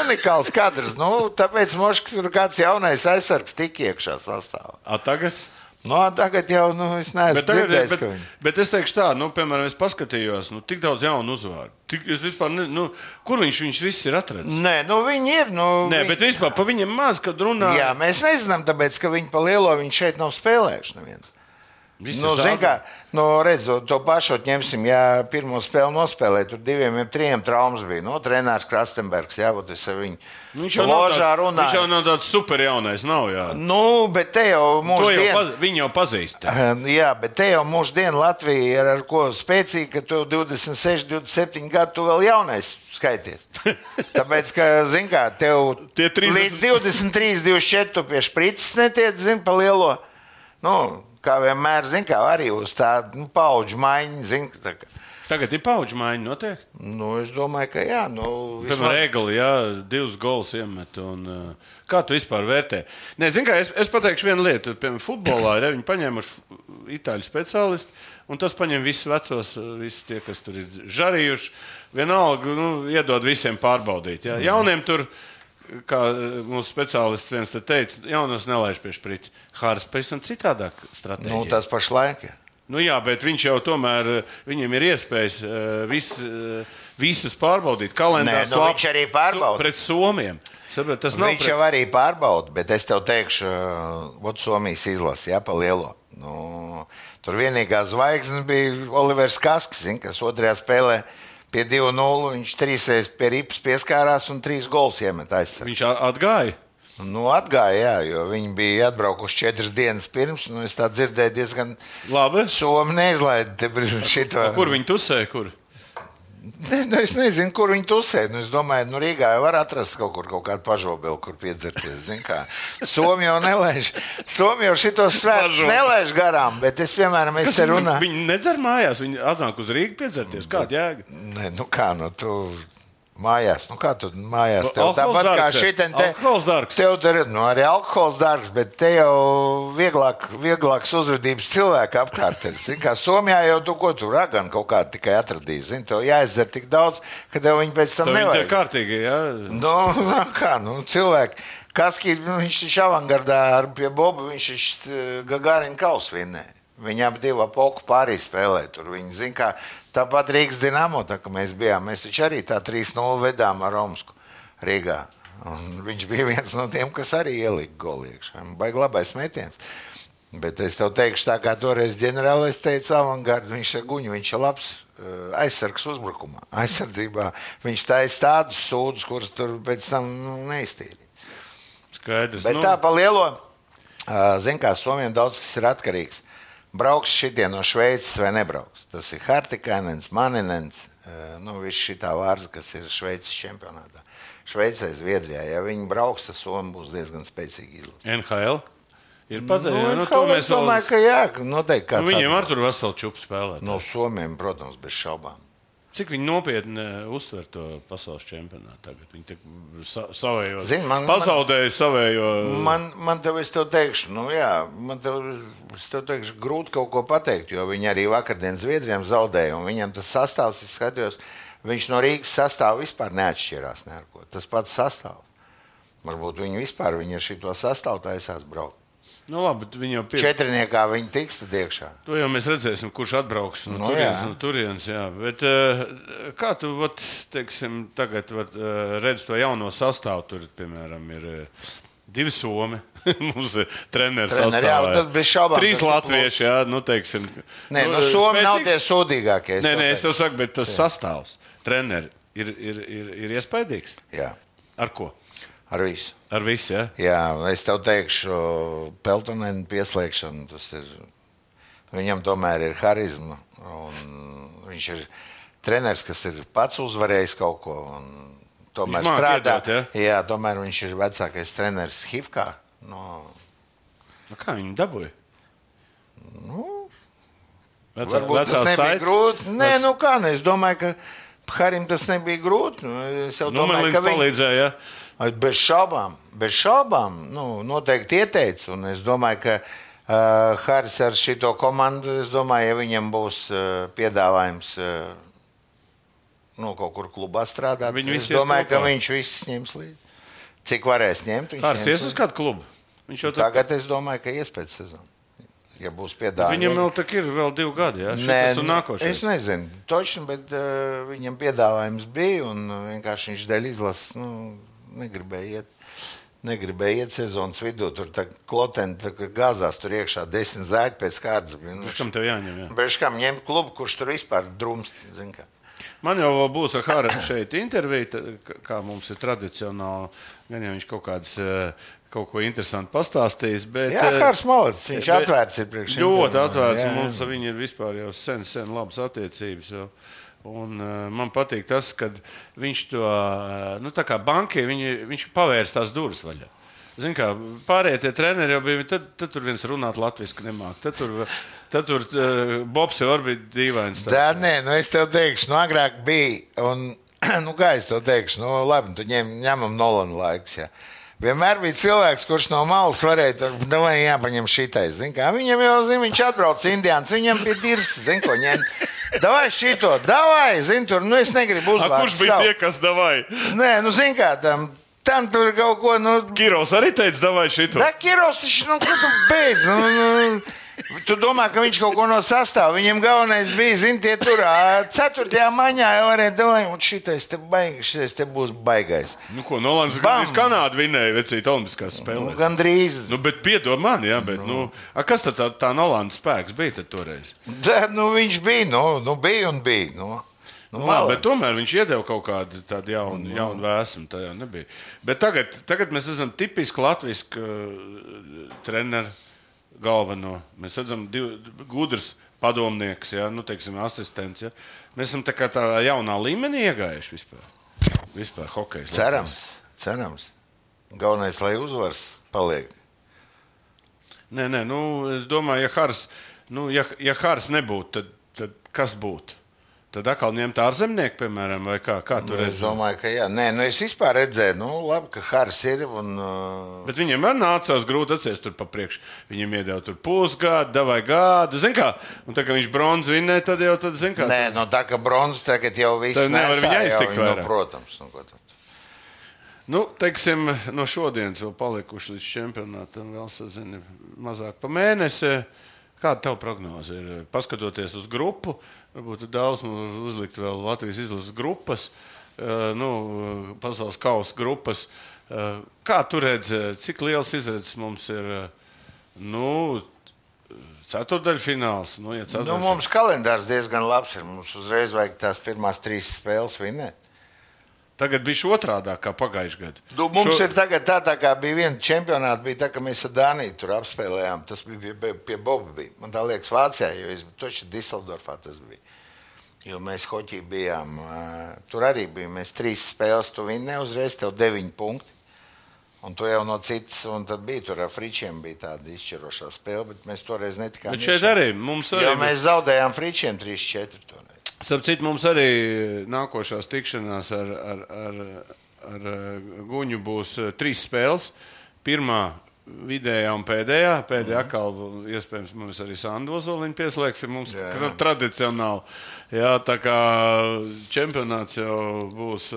Unikāls kadrs. Tāpēc mošs tur kāds jaunais aizsargs tik iekšā sastāvā. Tagad? Tagad jau, es neesmu dzirdējis, ka viņi. Bet es teikšu tā, piemēram, es paskatījos, tik daudz jaunu uzvārdu. Es vispār, kur viņš viss ir atradzis? Nē, viņi ir. Bet vispār pa viņiem maz, kad runā. Jā, mēs nezinām, tāpēc, ka viņi pa lielo viņš šeit nav spēlējuši neviens. Zin kā, redzot, to pašot ņemsim, ja pirmo spēli nospēlēja, tur 2-3 traumas bija. Trenērs Krastenbergs, jā, bet es ar viņu ložā runāju. Viņš jau nav tāds super jaunais, nav, jā. Bet te jau mūždien... Viņi jau pazīst. Jā, bet te jau mūždien Latvija ir ar ko spēcīgi, ka tu 26, 27 gadu tu vēl jaunais skaities. Tāpēc, ka, zin kā, tev līdz 23, 24 tu pie šprices netiec, zin, pa lielo. Kā vienmēr, zin kā, arī uz tādu paudžu maiņu, zin, tā kā. Tagad ir paudžu maiņa, notiek? Es domāju, ka jā. Piemēram, Egli, jā, 2 gols iemet, un kā tu vispār vērtē? Nē, zin kā, es pateikšu vienu lietu, piemēram, futbolā ir, viņi paņēmuši itāļu speciālisti, un tas paņem visus vecos, visi tie, kas tur ir žarījuši, vienalga, iedod visiem pārbaudīt, jā. Jauniem tur... Kā mūsu speciālists viens te teica, jaunos nelaiž pie šprici. Hāras pavisam citādāk stratēģija. Tas pašlaik, jā. Jā, bet viņš jau tomēr, viņam ir iespējas visus pārbaudīt. Kalendārs viņš arī pārbauda. Pret Somiem. Viņš jau arī pārbauda, bet es tev teikšu, Somijas izlasi, jā, pa lielo. Tur vienīgā zvaigzne bija Olivers Kaskis, kas otrajā spēlē pie 2-0, viņš 3 pie ripas pieskārās un 3 gols iemet aizsargu. Viņš atgāja? Atgāja, jā, jo viņi bija atbraukuši 4 dienas pirms, es tā dzirdēju diezgan labi. Somi neizlaida šito. Kur viņi tusēja, kur? Es nezinu, kur viņi tusē. Es domāju, Rīgā jau var atrast kaut kādu pažobeli, kur piedzerties. Somi jau nelaiž. Somi jau šitos svētus nelaiž garām, bet es, piemēram, es te runāju. Viņi nedzer mājās, viņi atnāk uz Rīgu piedzerties. Kāda jēga? Nē, tu mājās. Kā tu mājās? Tev tāpat kā šitien te. Alkohols dārgs. Tev te ir, arī alkohols dārgs, bet te jau vieglāks uzvedības cilvēka apkārt ir. Kā Somijā jau tu raganu kaut kādu tikai atradīs. Tev jāizdzer tik daudz, ka tev viņi pēc tam nevajag. Viņi te kārtīgi, jā? Cilvēki. Kaskī, viņš taču avangardā pie Boba, viņš Gagarina kausu vinnēja. Viņi ap 2 poku pārī spēlē. Tur viņi zina, kā tāpat Rīgas Dinamo, tā kā mēs bijām. Mēs taču arī tā 3-0 vedām ar Romsku Rīgā. Un viņš bija viens no tiem, kas arī ielika golu iekšā. Baigi labais metiens. Bet es tev teikšu tā, kā toreiz ģenerālais teica avangards, viņš ar guņu, viņš ir labs aizsargs uzbrukumā. Aizsardzībā viņš taisa tādus sūdus, kurus tur pēc tam neiztīrīja. Skaidrs. Bet tā pa lielo, zin kā, Somiem daudz kas ir atkarīgs. Brauks šitie no Šveices vai nebrauks. Tas ir Hartikainens, Maninens, viss šitā vārza, kas ir Šveices čempionātā. Šveicē, Zviedrijā. Ja viņi brauks, tad Somi būs diezgan spēcīgi izlasi. NHL? Ir pateikti. NHL, es domāju, ka jā, noteikti kāds. Viņiem ar tur veselu čupu spēlēt. No Somiem, protams, bez šaubām. Cik viņi nopietni uztver to pasaules čempionātu tagad? Viņi savējo, pazaudēja savējo. Man tev es tev teikšu, es tev teikšu grūti kaut ko pateikt, jo viņi arī vakardien Zviedrijam zaudēja, un viņam tas sastāvs, es skatījos, viņš no Rīgas sastāvu vispār neatšķirās neko. Tas pats sastāvs. Varbūt viņi ar šito sastāvu taisās braukt. Nu, labi, viņi jau četrniekā viņi tiks tad iekšā. To jau mēs redzēsim, kurš atbrauks no turienes. Jā. Bet kā tu, teiksim, tagad redz to jauno sastāvu? Tur, piemēram, ir 2 somi. Mums ir treneris sastāvā. Jā, bez šaubām. 3 latvieši, jā, teiksim. Nē, somi nav tie sūdīgākie. Nē, es tev saku, bet tas sastāvs, treneri, ir iespaidīgs? Jā. Ar ko? Ar visu. Ar visu, jā? Jā, es tev teikšu, Peltonēna pieslēgšana, viņam tomēr ir harizma, un viņš ir treneris, kas ir pats uzvarējis kaut ko, un tomēr strādā. Jā, tomēr viņš ir vecākais treneris Hifkā. Kā viņi dabūja? Varbūt tas nebija grūti. Nē, es domāju, ka Harim tas nebija grūti. Es jau domāju, ka viņi palīdzēja, jā. Bez šaubām, noteikti ieteicu, un es domāju, ka Haris ar šito komandu, es domāju, ja viņam būs piedāvājums kaut kur klubā strādāt, es domāju, ka viņš viss ņems līdzi. Cik varēs ņemt? Haris ies uz kādu klubu? Tagad es domāju, ka ies pēc sezonu. Ja būs piedāvājums. Viņam vēl tak ir vēl 2 gadi, jā? Es nezinu, točni, bet viņam piedāvājums bija, un vienkārši viņš dēļ izlases, negribēja iet sezonas vidū. Tur Kloteni gāzās tur iekšā 10 zēļi pēc kārtas. Kam tev jāņem, jā? Beškam ņemt klubu, kurš tur vispār drumst, zin kā. Man jau vēl būs ar Hāru šeit intervija, kā mums ir tradicionāli. Gan jau viņš kaut ko interesantu pastāstījis. Bet, jā, Hārs malacis, viņš atvērts ir priekš. Ļoti atvērts, un mums viņi ir vispār jau sen labas attiecības jau. Un man patīk tas, ka viņš to, tā kā bankie, viņš pavērs tās durvis vaļā. Zini kā, pārējie tie treneri jau bija, tad tur viens runāt latviski nemāk. Tad tur Bobs jau arī bija dīvains. Nē, es tev teikšu, agrāk bija, un, kā es tev teikšu, labi, tu ņemam Nolanu laikus, jā. Vienmēr bija cilvēks, kurš no malas varēja, jāpaņem šitais. Viņam jau, viņš atbrauc Indiāns, viņam bija dirs, ko ņemt. Davai šito, tur, es negribu uzvārdu. Kurš bija tie, kas davai? Nē, kā, tam tur kaut ko, Kirovs arī teica, davai šito. Da, Kirovs, ko tu beidz, Tu domā, ka viņš kaut ko no sastāv. Viņam galvenais bija, tie tur 4. maņā jau varēja domāt, un šitais te būs baigais. Ko, Nolans gandrīz Kanādu vinēja vecīt olimpiskās spēlēs? Gandrīz. Bet piedod man, jā, bet, kas tad tā Nolanda spēks bija tad toreiz? Viņš bija, bija un bija, bet tomēr viņš iedeva kaut kādu tādu jaunu vēsmu, tā jau nebija. Bet tagad mēs esam tipiski latviski treneri. Galveno. Mēs redzam gudrs padomnieks, ja? Teiksim, asistents. Ja? Mēs esam tā jaunā līmenī iegājuši vispār hokejas. Cerams. Galvenais, lai uzvars paliek. Nē, es domāju, ja Hārs nebūtu, tad kas būtu? Tad atkal ņemt ārzemnieku, piemēram, vai kā tur redzēt? Es domāju, ka jā. Nē, es vispār redzēju, labi, ka Hārs ir. Bet viņam arī nācās grūti atcies tur pa priekšu. Viņam iedeva tur pusgadu, davai gadu, zin kā? Un tā, ka viņš bronzu vinnēja, tad jau, zin kā? Nē, tā, ka bronzu tagad jau viss nesā, protams. Teiksim, no šodienas vēl palikuši līdz čempionātam, vēl sazini mazāk pa mēnesi. Kāda tev prognoze ir? Paskatoties uz grupu, varbūt daudz uzlikt vēl Latvijas izlases grupas, pasaules kausa grupas. Kā tu redzi, cik liels izredzes mums ir, ceturdaļfināls? Mums kalendārs diezgan labs ir. Mums uzreiz vajag tās pirmās 3 spēles vinnēt. Tagad bija otrādāk kā pagājušajā gadā. Mums ir tagad tā kā bija viena čempionāta, bija tā, ka mēs ar Dāniju tur apspēlējām. Tas bija pie Boba. Man tā liekas Vācijā, jo es toči Diseldorfā tas bija. Jo mēs hoķī bijām, tur arī bija, mēs 3 spēles tu vinnē, uzreiz tev 9 punkti. Un tu jau no citas, un tad bija tur ar Fričiem bija tāda izšķirošā spēle, bet mēs toreiz netikām. Bet šeit arī mums arī. Jo mēs zaudējām Fričiem 3-4 toreiz. Starp citu, mums arī nākošās tikšanās ar Guņu būs 3 spēles. Pirmā vidējā un pēdējā atkal iespējams mums arī Sandu Ozoliņu pieslēgsim mums tradicionāli. Jā, tā kā čempionāts jau būs.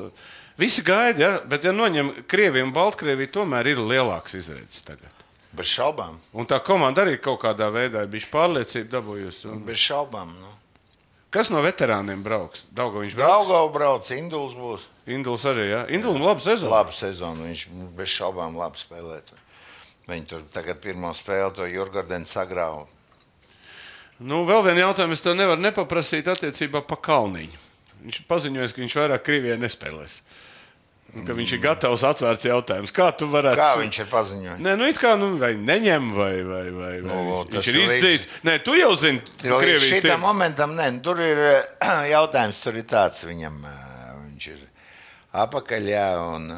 Visi gaida, ja? Bet ja noņem Krieviju un Baltkrieviju, tomēr ir lielāks izredzes tagad. Bez šaubām. Un tā komanda arī kaut kādā veidā ir bijusi pārliecība dabūjusi. Bez šaubām, Kas no veterāniem brauks? Daugaviņš brauks? Daugava brauc, Induls būs. Induls arī, jā? Indulim laba sezona. Laba sezona, viņš bez šaubām labi spēlēt. Viņi tur tagad pirmo spēli to Jurgardenu sagrāva. Vēl vienu jautājumu es tev nevaru nepaprasīt attiecībā pa Kalniņu. Viņš paziņojas, ka viņš vairāk Krievijai nespēlēs. Ka viņš ir gatavs atvērts jautājums. Kā tu varētu... Kā viņš ir paziņojis? Nē, it kā vai neņem, vai viņš ir izdzīts. Nē, tu jau zini, Krievijas tiem. Šitam momentam, tur ir jautājums, tur ir tāds viņam. Viņš ir apakaļ, un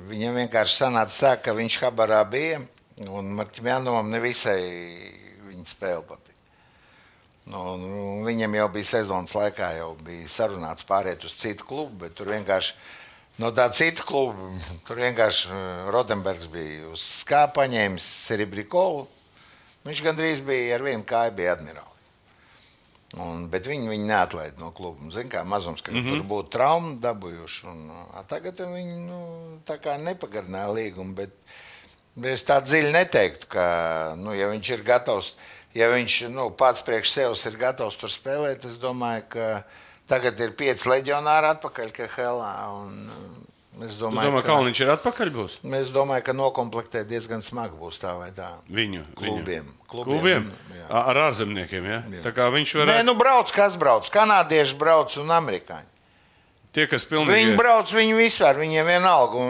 viņam vienkārši sanāca tā, ka viņš Habarā bija, un Marķim Jānovam nevisai viņa spēle patīk. Viņam jau bija sezonas laikā, jau bija sarunāts pāriet uz citu klubu, bet tur vienkārši no tā cita kluba, tur vienkārši Rotenbergs bija uz skā paņēmis Serebrikovu. Viņš gandrīz bija ar vienu kāju bija admirāli. Bet viņi neatlaida no kluba. Zin kā mazums, ka tur būtu trauma dabūjuši. Tagad viņi tā kā nepagarināja līgumu, bet es tā dziļi neteiktu, ka ja viņš ir gatavs, ja viņš pats priekš sevs ir gatavs tur spēlēt, es domāju, ka tagad ir 5 leģionāri atpakaļ KHL. Es domāju, ka Kalniņš ir atpakaļ būs? Es domāju, ka nokomplektē diezgan smagi būs tā vai tā. Viņu? Klubiem? Ar ārzemniekiem, ja? Tā kā viņš varētu... Nē, brauc, kas brauc? Kanādieši brauc un amerikāņi. Tie, kas pilnīgi... Viņi brauc, viņi vispār, viņiem vienalga.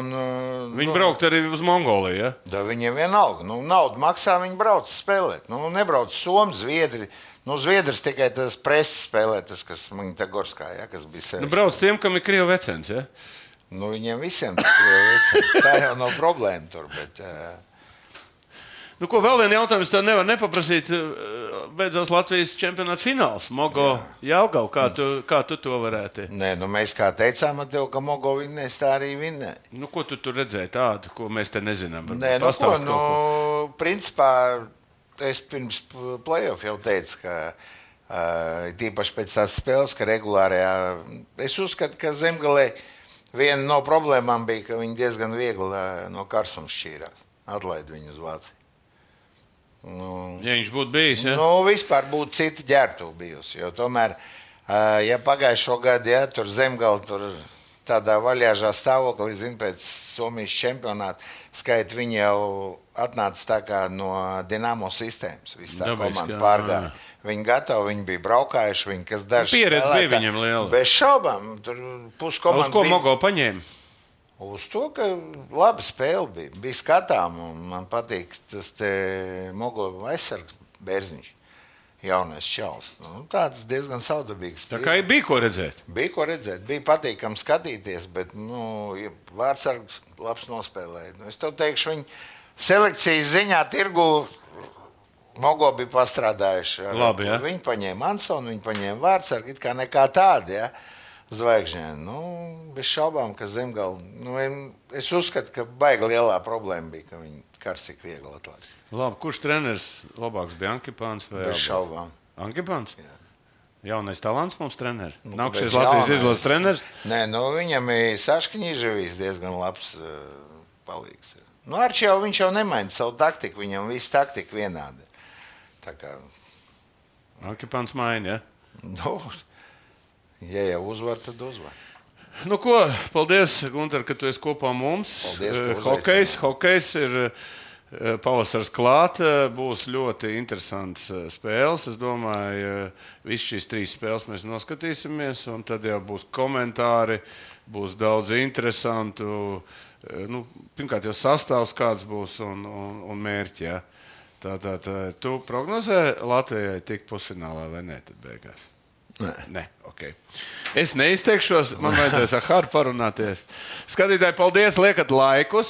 Viņi braukt arī uz Mongoliju, ja? Da, viņiem vienalga. Naudu maksā, viņi brauc spēlēt. Nebrauc Somi, Zviedri. Zviedrs tikai tas preses spēlē, tas, kas Magnitogorskā, ja, kas bija sevis. Brauc tiem, kam ir Krievu vecens, ja? Viņiem visiem tas Krievu vecens. Tā jau nav problēma tur, bet... Vēl vienu jautājumu es tev nevaru nepaprasīt. Beidzās Latvijas čempionāta fināls. Mogo Jelgava, kā tu to varētu? Nē, mēs kā teicām ar tev, ka Mogo vinnēs, tā arī vinnē. Ko tu tur redzēji tādu, ko mēs te nezinām? Nē, principā, es pirms play-off jau teicu, ka tīpaši pēc tās spēles, ka regulārajā, es uzskatu, ka Zemgalē viena no problēmām bija, ka viņi diezgan viegli no karsuma šķīrās. Atlaid viņu uz Vāciju. Ja viņš būtu bijis, ja? Vispār būtu cita ģērbtuve bijusi, jo tomēr, ja pagājušo gadu, ja, tur Zemgala, tur tādā vaļāžā stāvoklī, pēc Somijas čempionāta, skaita viņi jau atnāca tā kā no Dinamo sistēmas, viss tā komanda pārgāja. Viņi gatavi, viņi bija braukājuši, viņi, kas daži pieredze bija viņam liela. Bez šaubām, tur puskomanda bija. Uz ko Mogo paņēma? Uz to, ka laba spēle bija skatām, un man patīk tas te Mogo aizsargs Bērziņš, jaunais čalis. Tāds diezgan saudabīgs. Tā kā bija ko redzēt? Bija ko redzēt, bija patīkam skatīties, bet vārdsargs labs nospēlēja. Es tev teikšu, viņi selekcijas ziņā tirgu Mogo bija pastrādājuši. Labi, ja? Viņi paņēma Ansonu, viņi paņēma vārdsargu, it kā nekā tādi, ja? Zvaigžņēn. Bez šaubām, ka Zemgala, es uzskatu, ka baigi lielā problēma bija, ka viņi karsik viegli atlaid. Labi, kurš treneris labāks bija Ankipāns vai Bez šaubām. Ankipāns? Jā. Jaunais talants mums treneri? Nākušies Latvijas izlases treneris? Nē, viņam ir Saškņīževīs diezgan labs palīgs. Arči jau, viņš jau nemaina savu taktiku, viņam viss taktika vienādi. Tā kā... Ankipāns maina, ja? Ja jau uzvar, tad uzvar. Paldies, Gunter, ka tu esi kopā mums. Paldies, hokejs ir pavasars klāt. Būs ļoti interesants spēles. Es domāju, visas šīs 3 spēles mēs noskatīsimies, un tad jau būs komentāri, būs daudz interesantu. Pirmkārt, jau sastāvs kāds būs un mērķi. Ja? Tātad, tu prognozē Latvijai tikt pusfinālā vai ne tad beigās? Nē, ok. Es neizteikšos, man vajadzēs ar Haru parunāties. Skatītāji, paldies, liekat laikus,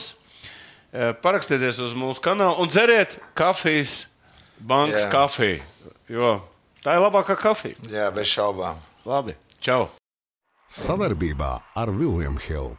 parakstieties uz mūsu kanālu un dzeriet kafijas, bankas kafiju, jo tā ir labākā kafija. Jā, bez šaubām. Labi. Čau! Savarbībā ar William Hill.